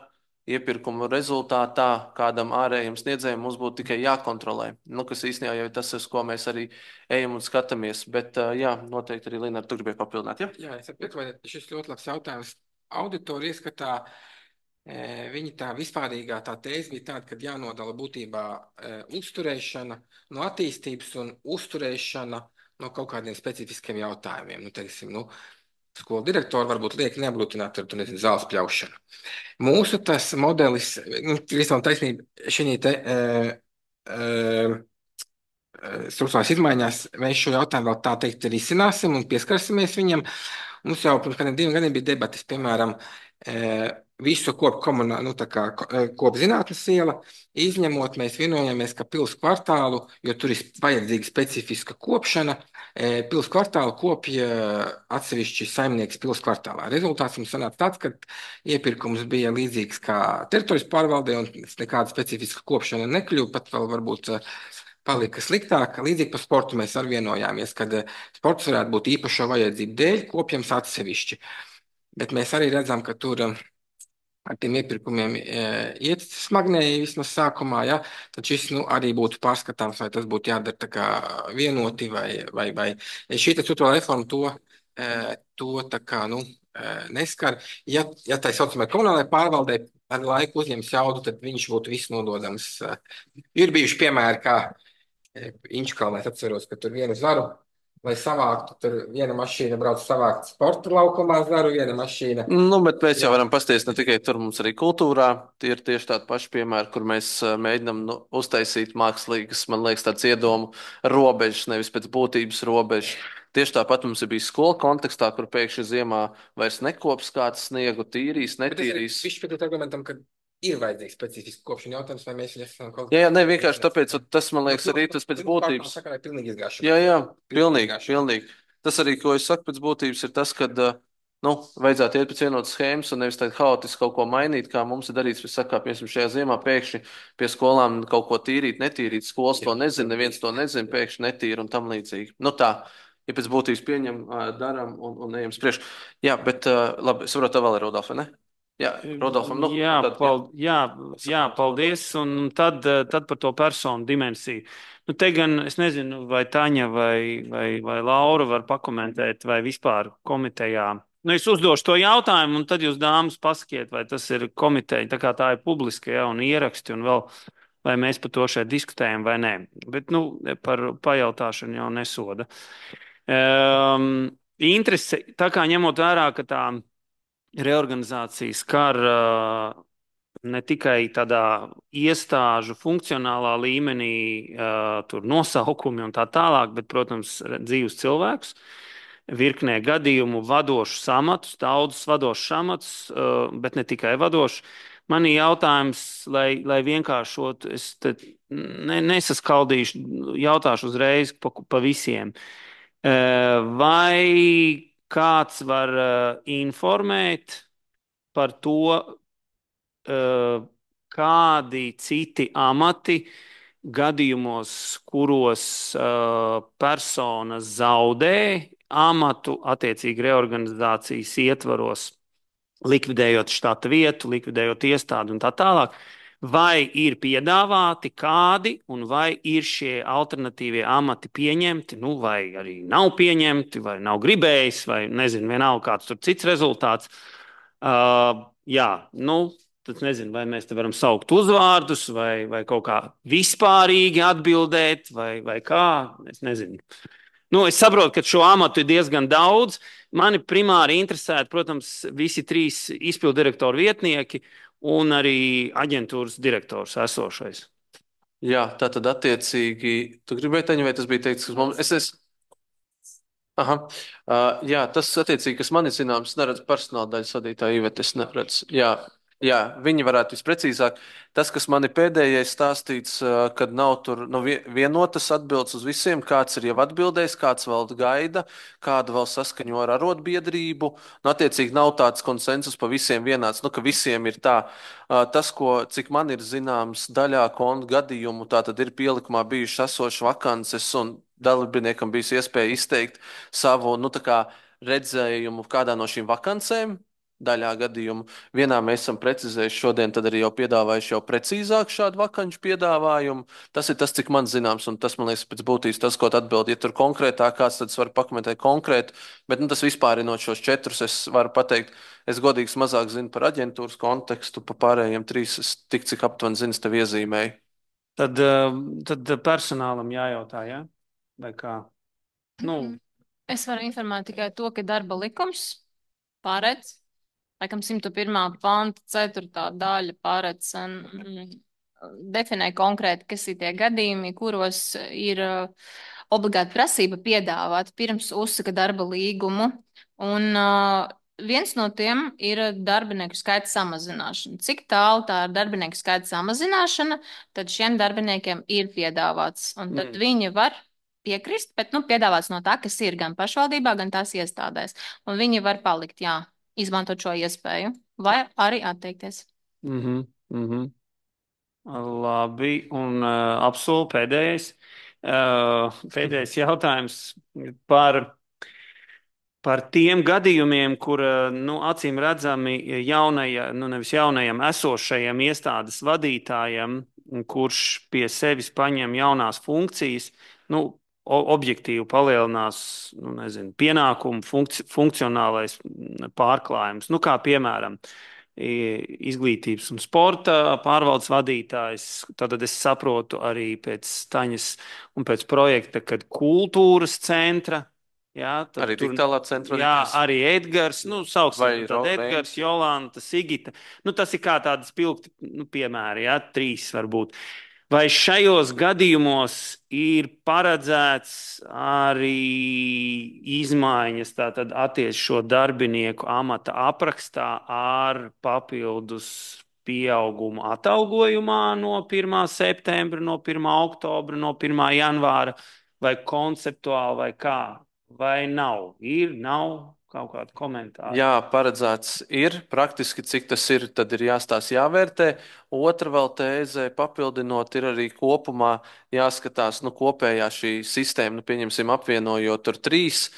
iepirkumu rezultātā kādam ārējam sniedzējam mums būtu tikai jākontrolē. Nu, kas īstenībā jau ir tas, uz ko mēs arī ejam un skatāmies. Bet, jā, noteikti arī Linara, tu gribēji papildināt, ja? Jā, es saprotu, vai šis ļoti labs jautājums. Auditori ieskatā, e, viņi tā vispārīgā tā tēze bija tāda, ka jānodala būtībā e, uzturēšana no attīstības un uzturēšana no kaut kādiem specifiskiem jautājumiem. Nu, teiksim, nu, skolu direktori varbūt liek neablūtināt ar, tu nezinu, zāles pļaušanu. Mūsu tas modelis, nu, visam taisnība, šī te e, e, struktūrās izmaiņās, mēs šo jautājumu vēl tā teikt risināsim un pieskarsimies viņam. Mums jau pirms kādiem diviem gadiem bija debatas, piemēram, e, visu kopu komunā, nu, tā kā kopzinātnes iela, izņemot, mēs vienojāmies, ka pils kvartālu, jo tur ir vajadzīga specifiska kopšana, e, pils kvartālu kopja atsevišķi saimnieks pils kvartālā. Rezultāts mums sanāca tāds, ka iepirkums bija līdzīgs kā teritorijas pārvaldē un nekāda specifiska kopšana nekļuva, pat vēl varbūt palika sliktāk. Līdzīgi par sportu mēs arī vienojāmies, kad sports varētu būt īpašo vajadzību dēļ kopjams atsevišķi. Bet mēs arī redzam, ka tur ar tiem iepirkumiem e, iet smagnēji vismaz sākumā, ja, tad šis nu, arī būtu pārskatāms, vai tas būtu jādara tā kā vienoti, vai, vai, vai. Šī struktūrālā reforma to, e, to tā kā, nu, e, neskar. Ja, ja tā saucamai komunālajai pārvaldē ar laiku uzņems jaudu, tad viņš būtu viss nododams. Ir bijuši piemēri, kā e, Inčkalnē, es atceros, ka tur vienu zaru, lai savāktu, tur viena mašīna brauc savākt sporta laukumā zaru, viena mašīna. Nu, bet mēs jau varam pasties ne tikai tur, mums arī kultūrā. Tie ir tieši tādi paši piemēri, kur mēs mēģinam nu, uztaisīt mākslīgas, man liekas, tāds iedomu robežas, nevis pēc būtības robežas. Tieši tāpat mums ir bijis skola kontekstā, kur pēkšņi ziemā vairs nekops kāds sniegu, tīrīs, netīrīs. Viņš pēc argumentam, ka ir vajadzīgs specifiski kopšana jautājums, vai mēs esam kaut kā... Jā, jā, ne, vienkārši tāpēc, tas, man liekas, arī tas pēc būtības. Sakarā ir pilnīgi izgāšana. Jā, jā, pilnīgi, pilnīgi. Tas arī, ko es saku pēc būtības, ir tas, ka, nu, vajadzētu iet pēc vienotas schēmas un nevis tādi haotiski kaut ko mainīt, kā mums ir darīts, mēs sakām, piemēram, šajā ziemā pēkšņi pie skolām kaut ko tīrīt, netīrīt, skolas to nezina, neviens to nezina, pēkšņi netīra un tam līdzīgi. Nu tā, ja pēc būtības pieņem, daram un, un ejam spriež. Jā, bet, labi, es varu tā vēl ir Rodolfa, ne? Jā, Rodolfam, nu, jā, tad, pal, jā, jā, paldies. Un tad, tad par to personu dimensiju. Nu, te gan es nezinu, vai Taņa vai, vai, vai Laura var pakomentēt, vai vispār komitejā. Nu, es uzdošu to jautājumu, un tad jūs, dāmas, pasakiet, vai tas ir komiteja, tā kā tā ir publiska, ja, un ieraksti, un vēl, vai mēs par to šeit diskutējam vai nē. Bet, nu, par pajautāšanu jau nesoda. Um, interese, tā kā ņemot vērā, ka tā reorganizācija skar uh, ne tikai tādā iestāžu funkcionālā līmenī, uh, tur nosaukumi un tā tālāk, bet, protams, dzīvus cilvēkus, virknē gadījumu vadošus amatus, daudzus vadošus amatus, uh, bet ne tikai vadošus. Man ir jautājums, lai, lai vienkāršot, es ne, nesaskaldīšu, jautāšu uzreiz pa, pa visiem. Uh, vai kāds var uh, informēt par to, uh, kādi citi amati gadījumos, kuros uh, personas zaudē amatu attiecīgi reorganizācijas ietvaros, likvidējot štata vietu, likvidējot iestādi un tā tālāk, vai ir piedāvāti kādi un vai ir šie alternatīvie amati pieņemti, nu vai arī nav pieņemti, vai nav gribējis, vai nezinu, vienalga kāds tur cits rezultāts. Uh, jā, nu, tad nezinu, vai mēs te varam saukt uzvārdus, vai, vai kaut kā vispārīgi atbildēt, vai, vai kā, es nezinu. Nu, es saprotu, ka šo amatu ir diezgan daudz. Mani primāri interesētu, protams, visi trīs izpildu direktoru vietnieki un arī aģentūras direktors esošais. Jā, tā tad attiecīgi, tu gribēji teņu, vai tas bija teikts, ka mums, es esmu. Aha. Uh, jā, tas attiecīgi, kas man ir zināms, neredz personāla daļas vadītāju Iveti, es neredzu. Jā, jā, viņi varētu visprecīzāk. Tas, kas man ir pēdējais stāstīts, uh, kad nav tur nu, vie- vienotas atbildes uz visiem, kāds ir jau atbildējis, kāds vēl gaida, kādu vēl saskaņo ar arotbiedrību. Nu, attiecīgi nav tāds konsensus pa visiem vienāds, nu, ka visiem ir tā. Uh, tas, ko, cik man ir zināms, daļā kontu gadījumu, tā tad ir pielikumā bijušas esošas vakances un dalībniekam bijis iespēja izteikt savu nu, tā kā redzējumu kādā no šīm vakancēm. Daļā gadījumu. Vienā mēs esam precizējuši šodien, tad arī jau piedāvājuši jau precīzāk šādu vakanču piedāvājumu. Tas ir tas, cik man zināms, un tas, man liekas, pēc būtības tas, ko tu atbildi. Ja tur konkrētāk kāds, tad es varu pakomentēt konkrētu, bet nu, tas vispārinot šos četrus, es varu pateikt, es godīgi mazāk zinu par aģentūras kontekstu, pa pārējiem trīs, es tik cik aptuveni zinu, es tev iezīmēju. Tad, uh, tad personālam jājautā, jā? Vai kā? Nu, Es varu informēt tikai to, ka darba likums paredz, laikam simta pirmā panta ceturtā daļa paredz un mm, definē konkrēti, kas ir tie gadījumi, kuros ir uh, obligāti prasība piedāvāt pirms uzsaka darba līgumu. Un uh, viens no tiem ir darbinieku skaita samazināšana. Cik tālu tā ir darbinieku skaita samazināšana, tad šiem darbiniekiem ir piedāvāts. Un tad Mm. viņi var piekrist, bet nu, piedāvāts no tā, kas ir gan pašvaldībā, gan tās iestādēs. Un viņi var palikt, jā, izmantot šo iespēju, vai arī atteikties. Mhm, mhm. Labi, un uh, apsolu pēdējais. Uh, pēdējais jautājums par, par tiem gadījumiem, kur, uh, nu, acīm redzami jaunajam, nu, nevis jaunajam, esošajam iestādes vadītājam, kurš pie sevis paņem jaunās funkcijas, nu, o- objektīvi palielinās, nu, nezinu, pienākumu funkci funkcionālais pārklājums. Nu, kā piemēram, i- izglītības un sporta pārvaldes vadītājs. Tad es saprotu arī pēc Taņas un pēc projekta, kad kultūras centra. Jā, tad Arī tur, digitālā centra jā, vadītājs. arī Edgars, nu, sauksim, Vai tad Ro- Edgars, Jolanta, Sigita. Nu, tas ir kā tādi spilgti, nu, piemēri, jā, trīs varbūt. Vai šajos gadījumos ir paredzēts arī izmaiņas, tātad attiec šo darbinieku amata aprakstā ar papildus pieaugumu atalgojumā no pirmā septembra, no pirmā oktobra, no pirmā janvāra, vai konceptuāli, vai kā? Vai nav? Ir, nav kaut kāda komentāra. Jā, paredzēts ir. Praktiski, cik tas ir, tad ir jāstāsta, jāvērtē. Otra vēl tēze, papildinot, ir arī kopumā jāskatās, nu, kopējā šī sistēma, nu, pieņemsim, apvienojot tur trīs.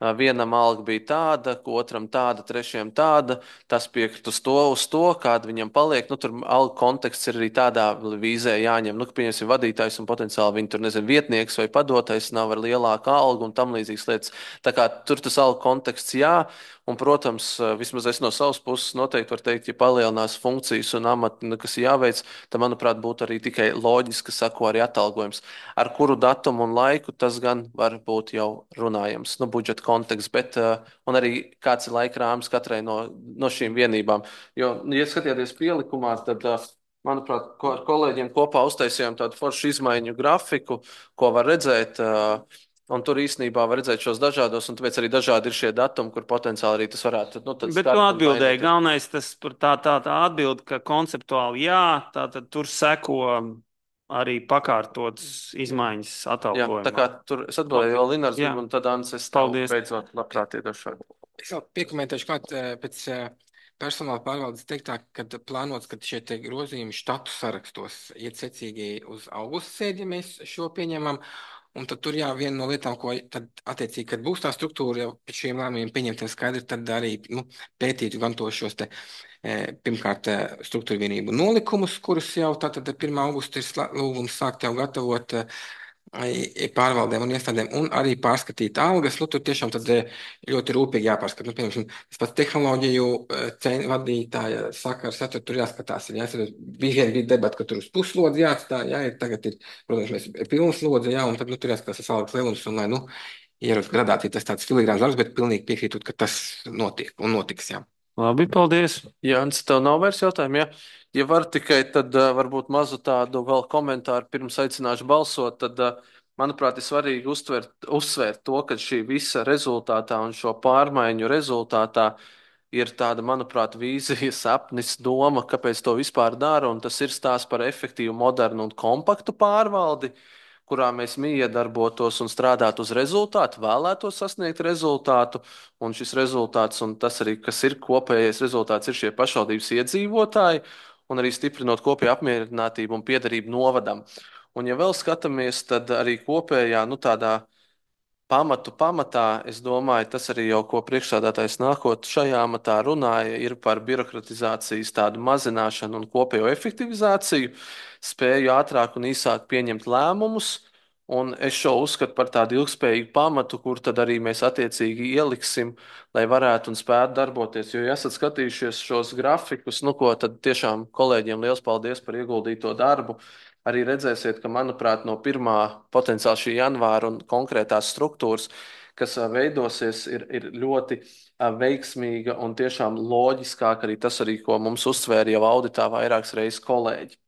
Ā, Vienam alga bija tāda, otram tāda, trešajam tāda. Tas piekrit uz to, uz to, kāda viņam paliek. Nu, tur alga konteksts ir arī tādā vīzē jāņem. Nu, ka, pieņemsim, vadītājs un potenciāli viņi tur, nezinu, vietnieks vai padotais nav ar lielāku algu un tam līdzīgas lietas. Tā kā tur tas alga konteksts jā. Un, protams, vismaz es no savas puses noteikti varu teikt, ja palielinās funkcijas un amati, nu, kas ir jāveic, tad, manuprāt, būtu arī tikai loģiski, ka sako arī atalgojums. Ar kuru datumu un laiku tas gan var būt jau runājams, nu, budžeta konteksts, bet uh, un arī kāds ir laika rāmis katrai no, no šīm vienībām. Jo, nu, ja skatieties pielikumā, tad, uh, manuprāt, ko, ar kolēģiem kopā uztaisījām tādu foršu izmaiņu grafiku, ko var redzēt. Uh, Un tur īstenībā var redzēt šos dažādos, un tāpēc arī dažādi ir šie datumi, kur potenciāli arī tas varētu. Nu, tad Bet skart tu un atbildēji, mainīt. galvenais tas par tā, tā, tā atbildi, ka konceptuāli jā, tātad tur seko arī pakārtotas izmaiņas Jā, atalgojumā. tā kā tur es atbildēju vēl Linars, Jā. un tad Ants, es tev Paldies. beidzot labprāt iedošu. Es vēl piekomentēšu klāt eh, pēc eh, personāla pārvaldes teiktā, kad plānots, ka šie te grozījumi štatu sarakstos iet secīgi uz augusta sēdi, ja mēs šo pieņemam. Un tad tur jā, viena no lietām, ko tad attiecīgi, kad būs tā struktūra jau pēc šiem lēmumiem pieņemtiem skaidri, tad arī nu, pētīt gan to šos te, eh, pirmkārt, eh, struktūra vienību nolikumus, kurus jau tātad pirmā augusta ir slā- lūgums sākt jau gatavot, eh, i- pārvaldēm un iestādēm un arī pārskatīt algas. Nu, tur tiešām tad eh, ļoti rūpīgi jāpārskata. Nu, piemēram, tas pats tehnoloģiju eh, cen- vadītāja sakars, ja, tur, tur jāskatās. Ir, ja, tur bija vien bija debata, ka tur uz puslodzi jāatstāj, ja, ir tagad ir, protams, mēs ir pilnas lodzi, ja, un tad, nu, tur jāskatās tas algas lielums un, lai, nu, ierodas gradācija, tas tāds filigrāns darbs, bet pilnīgi piekrītot, ka tas notiek un notiks, jā. Labi, paldies. Jānis, tev nav vairs jautājumu, ja? Ja var tikai tad uh, varbūt mazu tādu vēl komentāru pirms aicināšu balsot, tad, uh, manuprāt, ir svarīgi uztvert, uzsvērt to, ka šī visa rezultātā un šo pārmaiņu rezultātā ir tāda, manuprāt, vīzija, sapnis, doma, kāpēc to vispār dara, un tas ir stāsts par efektīvu, modernu un kompaktu pārvaldi, kurā mēs miedarbotos un strādātu uz rezultātu, vēlētos sasniegt rezultātu, un šis rezultāts, un tas arī, kas ir kopējais rezultāts, ir šie pašvaldības iedzīvotāji, un arī stiprinot kopēju apmierinātību un piederību novadam. Un, ja vēl skatāmies, tad arī kopējā, nu, tādā pamatu pamatā, es domāju, tas arī jau, ko priekšsādātājs nākot šajā amatā runāja, ir par birokratizācijas tādu mazināšanu un kopējo efektivizāciju, spēju ātrāk un īsāk pieņemt lēmumus. Un es šo uzskatu par tādu ilgspējīgu pamatu, kur tad arī mēs attiecīgi ieliksim, lai varētu un spētu darboties. Jo, ja esat skatījušies šos grafikus, nu, ko tad tiešām kolēģiem liels paldies par ieguldīto darbu, arī redzēsiet, ka, manuprāt, no pirmā potenciāli šī janvāra un konkrētās struktūras, kas ā, veidosies, ir, ir ļoti ā, veiksmīga un tiešām loģiskāk arī tas, arī, ko mums uzsvēra jau auditā vairākas reizes kolēģi.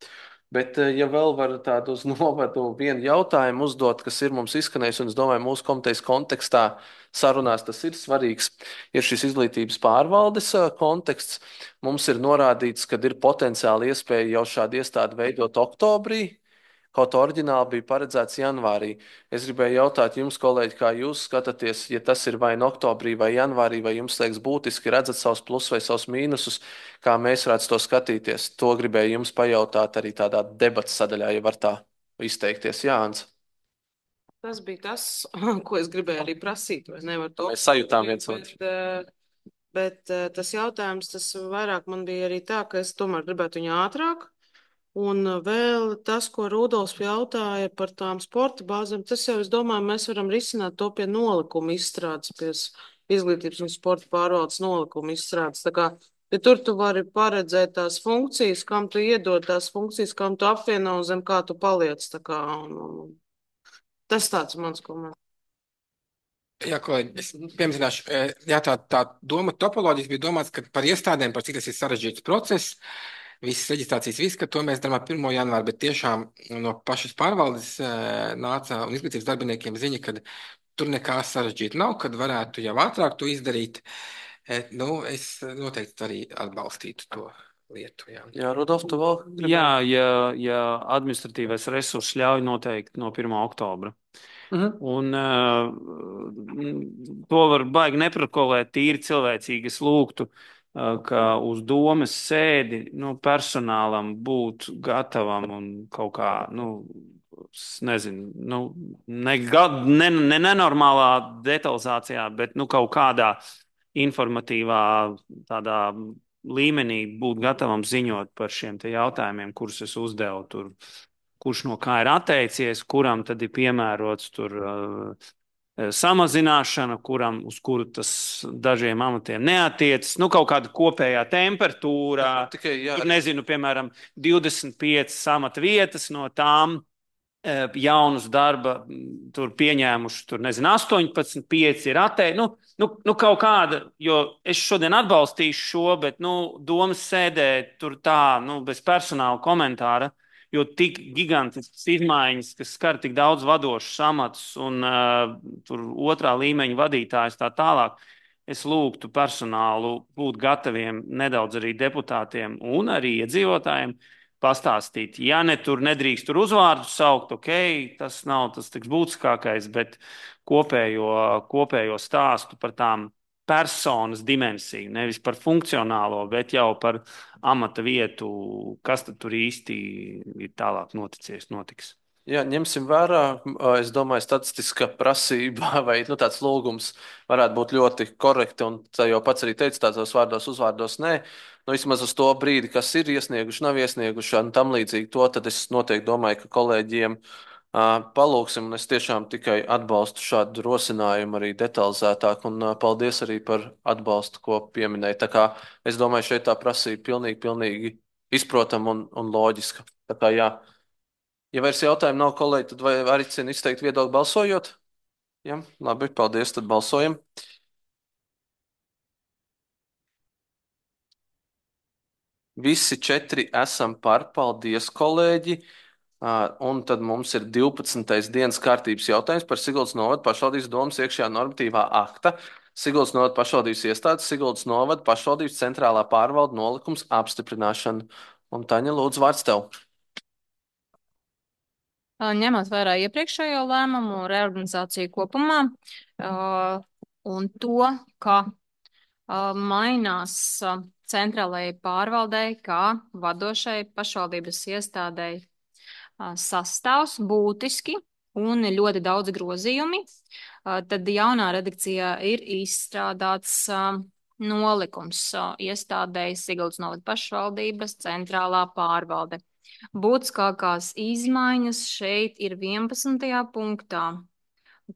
Bet, ā, ja vēl var tādu uz novadu vienu jautājumu uzdot, kas ir mums izskanējis, un es domāju, mūsu komitejas kontekstā sarunās tas ir svarīgs, ir šis izglītības pārvaldes ā, konteksts. Mums ir norādīts, ka ir potenciāli iespēja jau šādu iestādi veidot oktobrī, kaut oriģināli bija paredzēts janvārī. Es gribēju jautāt jums, kolēģi, kā jūs skatāties, ja tas ir vai nu oktobrī vai janvārī, vai jums liekas būtiski, redzat savus plusus vai savus mīnusus, kā mēs varētu to skatīties. To gribēju jums pajautāt arī tādā debatas sadaļā, ja var tā izteikties. Jānis. Tas bija tas, ko es gribēju arī prasīt, vai nevar to. Mēs sajūtām viens otru. Bet, eh, bet eh, tas jautājums, tas vairāk man bija arī tā, ka es tomēr gribētu viņu ātrāk. Un vēl tas, ko Rudolfs jautāja par tām sporta bāzēm, tas jau, es domāju, mēs varam risināt to pie nolikuma izstrādes, pie izglītības un sporta pārvaldes nolikuma izstrādes. Tā kā, ja tur tu vari paredzēt tās funkcijas, kam tu iedod tās funkcijas, kam tu apvieno un zem kā tu paliec. Tā kā, un, un, tas tāds mans komentārs. Jā, kolēģi, es piemēram, jā, tā, tā doma topoloģijas bija domāts, ka par iestādēm, par cik tas ir sarežģīts process, visas reģistrācijas, viss, ka to mēs darām pirmo janvāru, bet tiešām no pašas pārvaldes nāca un izglītības darbiniekiem ziņa, ka tur nekā sarežģīta nav, kad varētu jau ātrāk to izdarīt. Nu, es noteikti arī atbalstītu to lietu. Jā, jā Rudolf, tu vēl gribēji? Jā, ja, ja administratīvais resurss ļauj noteikti no pirmā oktobra. Mhm. Un uh, to var baigi neprotokolēt tīri cilvēcīgi. Es lūgtu, uh, ka uz domes sēdi, nu, personālam būt gatavam un kaut kā, nu, es nezinu, nu, ne, ga- ne, ne nenormālā detalizācijā, bet, nu, kaut kādā informatīvā tādā līmenī būt gatavam ziņot par šiem te jautājumiem, kurus es uzdevu tur, kurš no kā ir atteicies, kuram tad ir piemērots tur uh, samazināšana, kuram, uz kuru tas dažiem amatiem neatiecas. Nu, kaut kāda kopējā temperatūra. Tikai, jā, tur, nezinu, piemēram, divdesmit piecas amata vietas no tām uh, jaunus darba m, tur pieņēmuši, tur, nezinu, astoņpadsmit, pieci ir atteicis. Nu, nu, nu, kaut kāda, jo es šodien atbalstīšu šo, bet, nu, domas sēdē tur tā, nu, bez personāla komentāra. Jo tik gigantiskas izmaiņas, kas skar tik daudz vadošus amatus un uh, tur otrā līmeņa vadītājus tā tālāk, es lūgtu personālu būt gataviem nedaudz arī deputātiem un arī iedzīvotājiem pastāstīt. Ja ne tur nedrīkst tur uzvārdu saukt, ok, tas nav tas tik būtiskākais, bet kopējo, kopējo stāstu par tām personas dimensiju, nevis par funkcionālo, bet jau par amata vietu, kas tad tur īsti ir tālāk noticies, notiks. Jā, ņemsim vērā, es domāju, statistiska prasība vai nu, tāds lūgums varētu būt ļoti korekti, un tā jau pats arī teica tādos vārdos, uzvārdos nē. Nu, vismaz uz to brīdi, kas ir iesnieguši, nav iesnieguši un tam līdzīgi to, tad es noteikti domāju, ka kolēģiem Palūksim, un es tiešām tikai atbalstu šādu rosinājumu arī detalizētāk, un paldies arī par atbalstu, ko pieminēja. Tā kā es domāju, šeit tā prasība pilnīgi, pilnīgi izprotama un, un loģiska. Tā kā jā, ja vairs jautājumu nav, kolēģi, tad vai aicinu izteikt viedokli balsojot? Jā, labi, paldies, tad balsojam. Visi četri esam par, paldies, kolēģi. Uh, un tad mums ir divpadsmitais dienas kārtības jautājums par Siguldas novada pašvaldības domas iekšējā normatīvā akta. Siguldas novada pašvaldības iestādes, Siguldas novada pašvaldības centrālā pārvalda nolikums apstiprināšana. Un Taņa, lūdzu, vārds tev. Ņemot vērā iepriekšējo lēmumu, reorganizāciju kopumā uh, un to, ka uh, mainās uh, centrālajai pārvaldei, kā vadošai pašvaldības iestādei sastāvs būtiski un ļoti daudz grozījumi, tad jaunā redakcijā ir izstrādāts nolikums iestādēji Siguldas novada pašvaldības centrālā pārvalde. Būtiskākās izmaiņas šeit ir vienpadsmitajā punktā,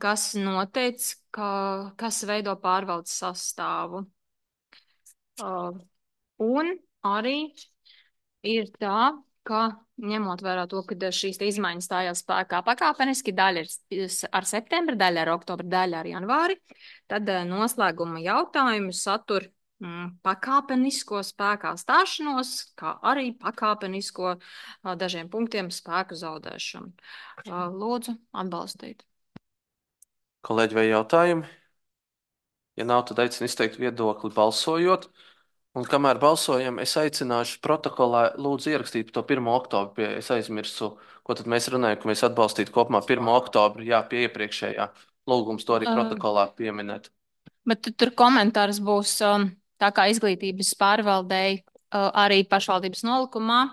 kas noteic, ka, kas veido pārvaldes sastāvu. Un arī ir tā, ka ņemot vērā to, ka šīs izmaiņas stājās spēkā pakāpeniski, daļa ir ar septembri, daļa ar oktobri, daļa ar janvāri, tad noslēguma jautājumu satur mm, pakāpenisko spēkā stāšanos, kā arī pakāpenisko dažiem punktiem spēku zaudēšanu. Lūdzu, atbalstīt. Kolēģi, vai jautājumi? Ja nav, tad aicinu izteikt viedokli balsojot. Un kamēr balsojam, es aicināšu protokolā lūdzu ierakstīt to pirmo oktobru. Pie, es aizmirsu, ko tad mēs runājam, ka mēs atbalstītu kopumā pirmo oktobru, jā, pie iepriekšējā. Lūgums to arī protokolā pieminēt. Bet tur komentārs būs tā kā izglītības pārvaldei arī pašvaldības nolikumā,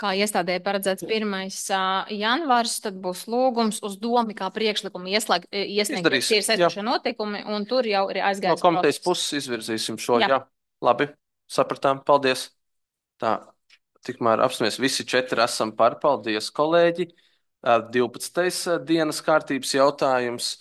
kā iestādē paredzēts pirmais janvārs, tad būs lūgums uz domu kā priekšlikumu ieslēgt, iesniegt ir saistošie noteikumi, un tur jau ir aizgājis. No komitejas puses izvirzīsim šo, jā. jā. Labi, sapratām, paldies. Tā, tikmēr apsmies visi četri esam par, paldies, kolēģi. divpadsmitais dienas kārtības jautājums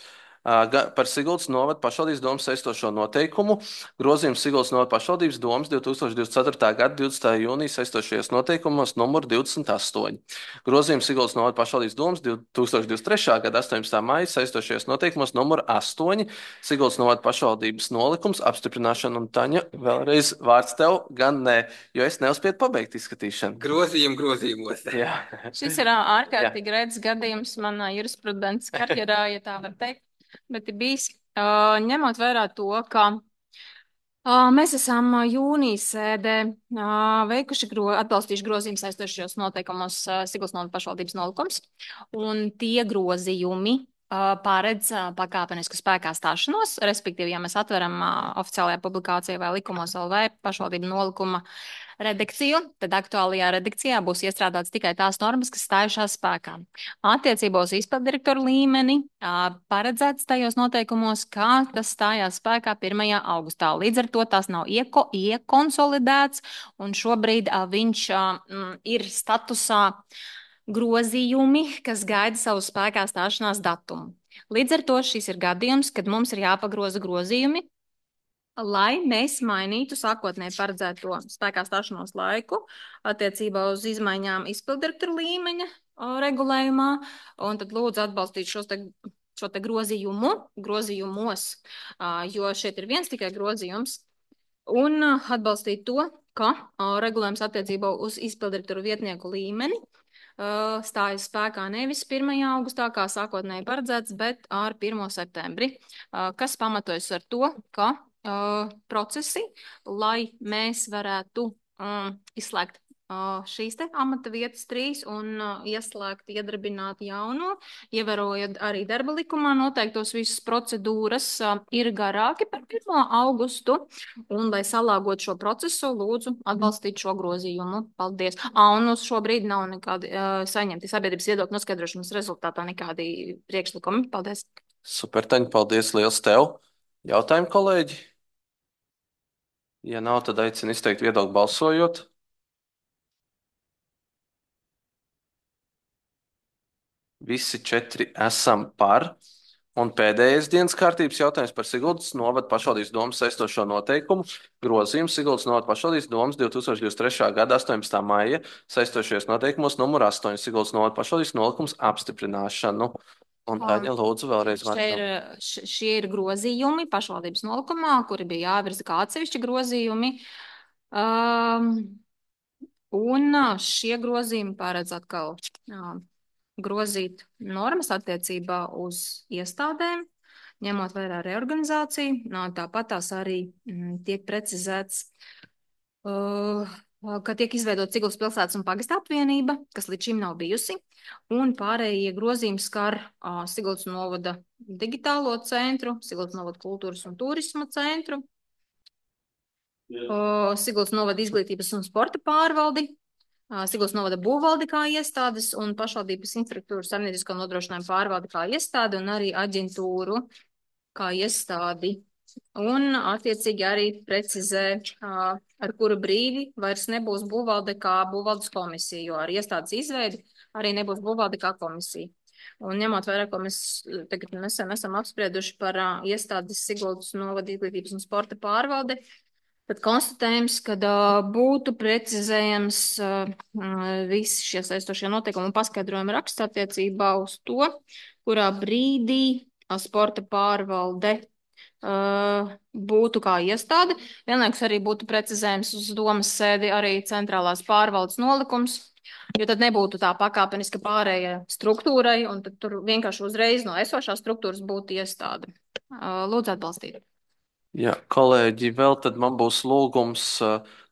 par Siguldas novada pašvaldības domas saistošo noteikumu. Grozījums Siguldas novada pašvaldības domas divtūkstoš divdesmit ceturtā gada divdesmitā jūnija saistošajos noteikumos numur divdesmit astoņi. Grozījums Siguldas novada pašvaldības domas divtūkstoš divdesmit trešā gada astoņpadsmitā maija saistošajos noteikumos numur astoņi. Siguldas novada pašvaldības nolikums apstiprināšana. Un Taņa, vēlreiz vārds tev, gan ne, jo es neuzspiedu pabeigt izskatīšanu. Grozījumi grozījumos. Jā. Šis ir ārkārtīgi rēts gadījums manā jurisprudences karjerā, ja tā var teikt. Bet ir bijis, uh, ņemot vērā to, ka uh, mēs esam jūnijas sēdē uh, veikuši gro, atbalstījuši grozījumus saistošajos noteikumos uh, Siguldas novada pašvaldības nolikums, un tie grozījumi uh, paredz uh, pakāpenisku spēkā stāšanos, respektīvi, ja mēs atveram uh, oficiālajā publikācijā vai likumos L V pašvaldību nolikuma redakciju, tad aktuālajā redakcijā būs iestrādāts tikai tās normas, kas stājušās spēkā. Attiecībā uz izpildirektoru līmeni paredzēts tajos noteikumos, kā tas stājās spēkā pirmajā augustā. Līdz ar to tās nav ieko, iekonsolidēts, un šobrīd viņš m, ir statusā grozījumi, kas gaida savu spēkā stāšanās datumu. Līdz ar to šis ir gadījums, kad mums ir jāpagroza grozījumi, lai mēs mainītu sākotnēji paredzēto spēkā stāšanos laiku attiecībā uz izmaiņām izpildirektoru līmeņa regulējumā, un tad lūdzu atbalstīt šos te, šo te grozījumu, grozījumos, jo šeit ir viens tikai grozījums, un atbalstīt to, ka regulējums attiecībā uz izpildirektoru vietnieku līmeni stājas spēkā nevis pirmajā augustā, kā sākotnēji paredzēts, bet ar pirmo septembri, kas pamatojas ar to, ka Uh, procesi, lai mēs varētu um, izslēgt uh, šīs te amata vietas trīs un uh, ieslēgt, iedarbināt jauno, ievērojot arī darba likumā noteiktos visas procedūras uh, ir garāki par pirmo augustu, un lai salāgot šo procesu, lūdzu atbalstīt šo grozījumu. Paldies. Ah, un uz šo brīdi nav nekādi uh, saņemti sabiedrības viedokļu noskaidrošanas rezultātā nekādi priekšlikumi. Paldies. Super, Taņa, paldies liels tev. Jautājumi, kolēģi? Ja nav, tad aicinu izteikt viedokli balsojot. Visi četri esam par. Un pēdējais dienas kārtības jautājums par Siguldas novada pašvaldības domas saistošo noteikumu grozījumu Siguldas novada pašvaldības domas divtūkstoš divdesmit trešā gada astoņpadsmitā maija saistošajos noteikumos numur astoņi Siguldas novada pašvaldības nolikums apstiprināšanu. Un Taņa, lūdzu, vēlreiz Šie ir, vārdu. š- šie ir grozījumi pašvaldības nolikumā, kuri bija jāvirza kā atsevišķi grozījumi. Um, un ā, šie grozījumi paredz atkal ā, grozīt normas attiecībā uz iestādēm, ņemot vērā reorganizāciju. Nā, Tāpat tās arī mm, tiek precizēts, uh, ka tiek izveidot Siguldas pilsētas un pagasta apvienība, kas līdz šim nav bijusi, un pārējie grozījumi skar uh, Siguldas novada digitālo centru, Siguldas novada kultūras un turisma centru, uh, Siguldas novada izglītības un sporta pārvaldi, uh, Siguldas novada būvvaldi kā iestādes un pašvaldības infrastruktūras saimniecisko nodrošinājumu pārvaldi kā iestādi un arī aģentūru kā iestādi. Un attiecīgi arī precizē, ā, ar kuru brīdi vairs nebūs būvvalde kā būvvaldes komisija, jo ar iestādes izveidi arī nebūs būvvalde kā komisija. Un ņemot vērā, ko mēs tagad nesen esam apsprieduši par ā, iestādes Siguldas novada izglītības un sporta pārvalde, tad konstatējums, ka ā, būtu precizējams ā, visi šie saistošie noteikumi un paskaidrojumi raksts attiecībā uz to, kurā brīdī ā, sporta pārvalde Uh, būtu kā iestāde. Vienlaikus arī būtu precizējums uz domas sēdi arī centrālās pārvaldes nolikums, jo tad nebūtu tā pakāpeniska pārēja struktūrai, un tad tur vienkārši uzreiz no esošās struktūras būtu iestāde. Uh, lūdzu atbalstīt. Jā, kolēģi, vēl tad man būs lūgums,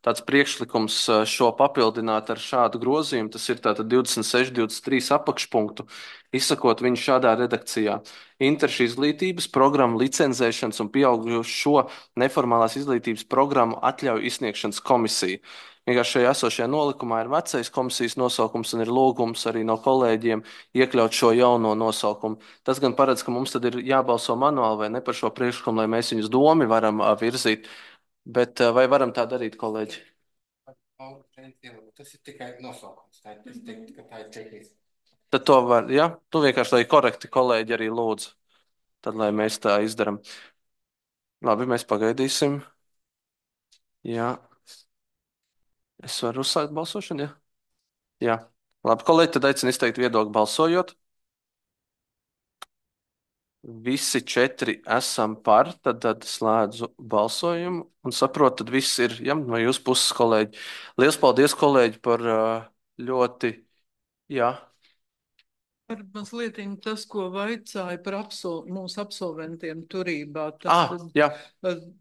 tāds priekšlikums šo papildināt ar šādu grozījumu. Tas ir tātad divdesmit seši, divdesmit trīs apakšpunktu, izsakot viņu šādā redakcijā. Interešu izglītības programmu licenzēšanas un pieaugušo neformālās izglītības programmu atļauju izsniegšanas komisija. Vienkārši šajā esošajā nolikumā ir vecais komisijas nosaukums un ir lūgums arī no kolēģiem iekļaut šo jauno nosaukumu. Tas gan paredz, ka mums tad ir jābalso manuāli vai ne par šo priekšlikumu, lai mēs viņus domi varam ā, virzīt. Bet ā, vai varam tā darīt, kolēģi? Tas ir tikai nosaukums. Tā, es teiktu, ka tā ir tehniski. Tad to var, ja? Tu vienkārši, lai korekti kolēģi arī lūdzu. Tad, lai mēs tā izdaram. Labi, mēs pagaidīsim. Jā. Es varu uzsākt balsošanu, ja? Jā. Labi, kolēģi, tad aicinu izteikt viedokli balsojot. Visi četri esam par, tad, tad slēdzu balsojumu un saprotu, tad viss ir, ja, no jūsu puses, kolēģi. Liels paldies, kolēģi, par uh, ļoti, jā. Par mazliet tas, ko vaicāja par absol mūsu absolventiem turībā. Ah, Tad jā.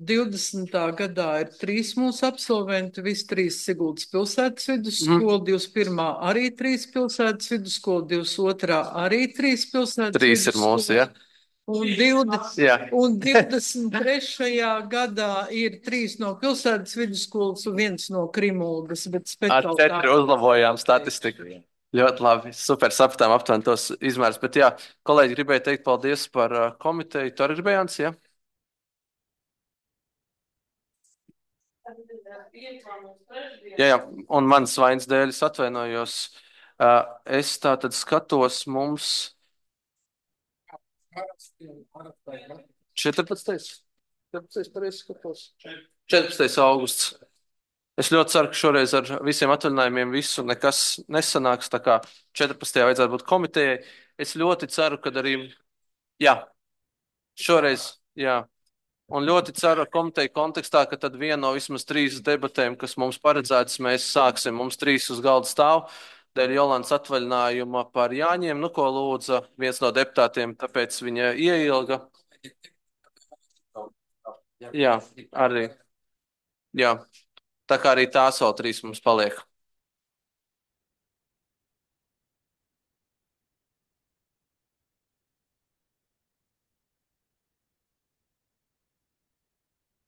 divdesmitā gadā ir trīs mūsu absolventi, visi trīs Siguldas pilsētas vidusskola, Mhm. divdesmit pirmā arī trīs pilsētas vidusskola, divdesmit otrā arī trīs pilsētas Trīs ir mūsu, vidusskola. ja. Un, divdesmit, Jā. un divdesmit trešajā gadā ir trīs no pilsētas vidusskolas un viens no Krimulgas, bet Ar speciāli četri uzlabojām statistiku. Ļoti labi, super sapratām aptuveni tos izmērus. Bet jā, kolēģi, gribēju teikt paldies par uh, komiteju. Tu arī gribēji, Jānis, ja? Jā, jā, un manas vainas dēļ es atvainojos. Uh, es tā tad skatos mums četrpadsmitais. četrpadsmitais pareizi skatos. četrpadsmitais augusts. Es ļoti ceru, ka šoreiz ar visiem atvaļinājumiem visu nekas nesanāks. Tā kā četrpadsmitajā vajadzētu būt komitejai. Es ļoti ceru, ka arī, jā, šoreiz, jā. Un ļoti ceru komiteju kontekstā, ka tad viena no vismaz trīs debatēm, kas mums paredzētas, mēs sāksim. Mums trīs uz galda stāv. Dēļ Jolantas atvaļinājuma par Jāņiem, nu ko lūdza viens no deputātiem, tāpēc viņa ieilga. Jā, arī. Jā. Tā kā arī tās vēl trīs mums paliek.